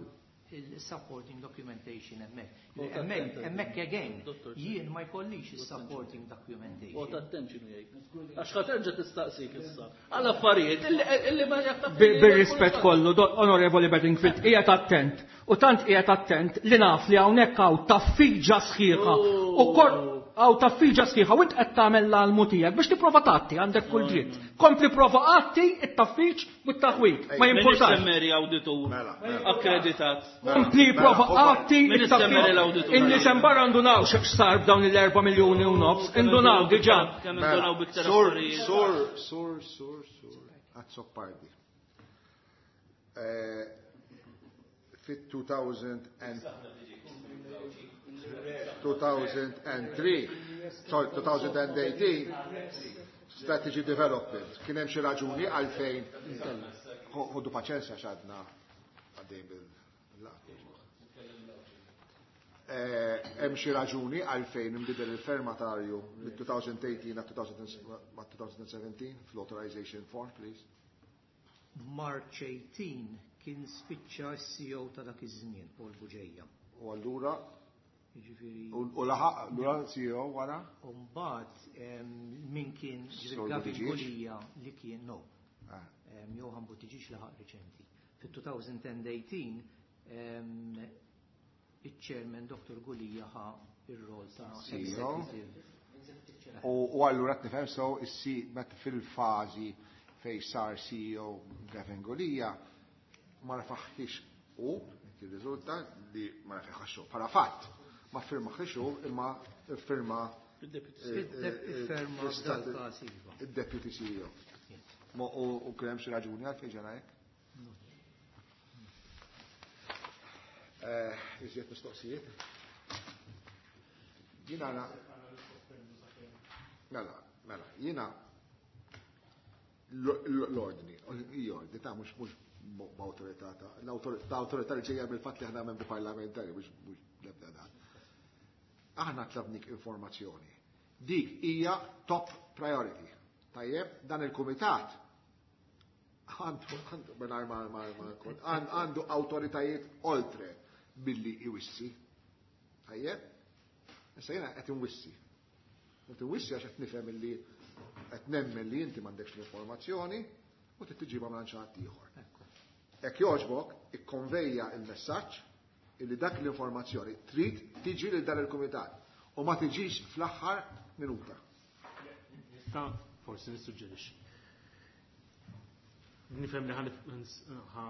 il-supporting documentation hemmhekk. Hemmhekk hemmhekk again,
Dottor,
jien ma jkollix il-supporting
U
documentation.
Attent x'inhu jgħid. Għax ħa terġa' tistaqsik issa. Għal affarijiet illi illi ma jaħtaf.
Bir-rispett kollu, do- Onorevoli Bedingfield, qiegħed attent. U tant qiegħed attent li naf li hawnhekk hawn taffiġa sħiħa. U kor hawn taffiġa sħiħa u int qed tagħmel l-almu tiegħek biex tipprova tgħatti, għandek kull dritt. Kompli prova għatti it-taffiġ u t-taħwit. Ma
Min
jimpurtax.
semmeri awditur
Mela, mela.
akkreditat.
Kompli prova għatti
Min
it-taffiġ.
l-awditur?
Inni sembar ndunaw x'sar b'dawn il-erba' miljuni u nofs, indunaw diġà.
Kemm indunaw biktar
Sur,
affarijiet.
sur, sur, sur, sur, Azzopardi. Eh, Fit-two thousand and two thousand and three, sorry, twenty eighteen, strategy development. Kien hemm xi raġuni għalfejn, ħodu paċenzja x'għadna għaddej bil-laqgħa. Eh, Hemm xi raġuni għalfejn inbidel il-firmatarju mit-twenty eighteen għal twenty seventeen fl-authorization form, please?
March eighteen kien spiċċa s-C E O ta' dak iż-żmien, Paul Bugeja.
U allura
Jiġifieri
u u laħaq allura C E O wara?
U mbagħad em, min kien
Sur
Gavin
Buttigieg?
Gulia li kien, no.
Ah.
Em, Johan Buttigieg laħaq riċenti. Fit-twenty eighteen em, il-chairman Doctor Gulia ħa ir-rol ta'
C E O.
executive.
U u allura qed nifhem so issi meta fil-fażi fej sar C E O Gavin Gulia ma rafaħħix u jirriżulta li ma rafaħħax hu. Bħala fatt ma firmaħħix hu imma firma
Firma f'dal-każ iva.
il-deputy C E O. Ma u u kien hemm xi raġuni għalfejn ġara hekk? Eh, Iżjed mistoqsijiet? Jiena na Mela, mela, jiena l-ordni, l-ordni ta' mhux mhux b'awtorità ta' l-awtorità li ġejja mill-fatt li aħna membri parlamentari, mhux mhux l-ebda dan. Aħna tlabnik informazzjoni. Dik hija top priority. Tajjeb, dan il-kumitat għandu għandu mingħajr ma ma ma għandu awtoritajiet oltre billi iwissi. Tajjeb? Issa jiena qed inwissi. Qed inwissi għax qed nifhem illi qed nemmen li inti m'għandekx l-informazzjoni u trid tiġibha minn xi ħadd ieħor. Jekk jogħġbok, ikkonvejja il-messaġġ illi dak l-informazzjoni trid tiġi lil dan il-kumitat u ma tiġix fl-aħħar minuta.
Nista' forsi nissuġġerixxi. Nifhem li ħa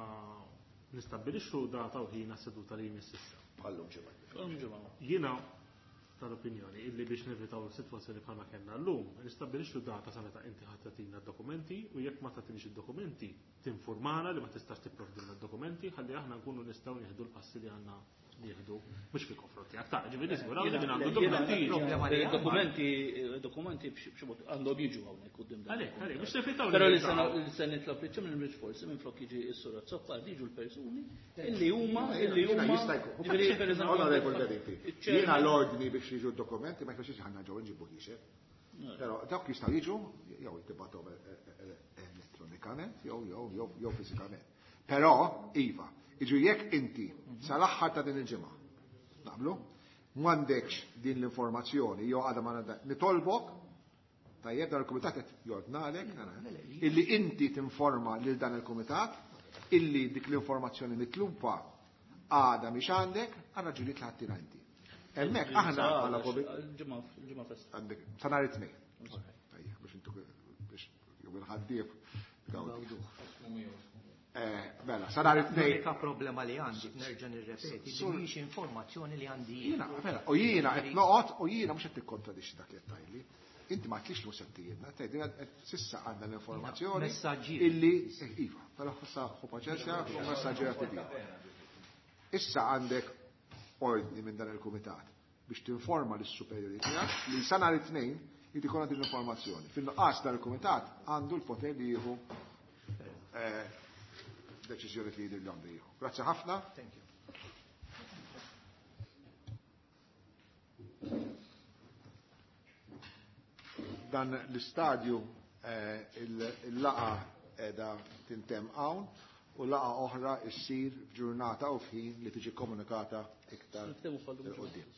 nistabbilixxu data u ħin għas-seduta li jmiss issa.
Bħallum ġimgħa.
Jiena tal-opinjoni illi biex nevitaw sitwazzjoni bħalma kellna llum, nistabbilixxu data sa meta inti ħadd tagħtina d-dokumenti u jekk ma tagħtinix id-dokumenti tinformana li ma tistax tipprovdilna d-dokumenti ħalli aħna nkunu nistgħu nieħdu l-passi li għandna nieħdu mhux fil-konfront tiegħek ta' ġifieri niżguraw li min għandu dokumenti.
Dokumenti dokumenti b'xi mod għandhom jiġu hawnhekk quddiem dan.
Għalhekk, għalhekk, biex nevitaw.
Però li se nitlob li ċemil mhux forsi minflok jiġi s-sur Azzopardi jiġu l-persuni illi huma illi huma.
Jista' jkun. Onorevole Garifi, jiena l-ordni biex jiġu d-dokumenti ma jfissirx ħanna ġew nġibu ħiexek. Però dawk jistgħu jiġu jew jitibgħathom elettronikament jew jew jew fiżikament. Però iva, iġu jekk inti sal-aħħar ta' din il-ġimgħa, naqblu, m'għandekx din l-informazzjoni jew għadha ma nitolbok, tajjeb dan il-kumitat qed jordnalek illi inti tinforma lil dan il-kumitat illi dik l-informazzjoni mitluba għadha mhix għandek għal raġunijiet li ħadtina inti. Hemmhekk aħna bħala
ġimgħa ġimgħa festa.
Għandek sa nhar it-tnejn. Tajjeb biex intu biex jew il-ħaddief. Mela, sa nhar it-tnejn.
L-unika problema li għandi, nerġa' nirrepeti, li mhix informazzjoni li għandi
jiena. Mela, u jiena qed noqgħod u jiena mhux qed tikkontradixxi dak li qed tgħidli. Inti ma tlix li settijietna, tgħidilna sissa għandna l-informazzjoni illi iva, però issa ħu paċenzja u messaġġiera tibi. Issa għandek ordni minn dan il-kumitat biex tinforma lis-superjuri tiegħek li sa nhar it-tnejn jrid ikollha din l-informazzjoni. Fin-nuqqas dan il-kumitat għandu l-poter li jieħu deċiżjoni li jidher li għandu jieħu. Grazzi ħafna.
Thank you.
Dan l-istadju il-laqa qiegħda tintemm hawn u laqa oħra issir f'ġurnata u f'ħin li tiġi komunikata iktar il-qudiem.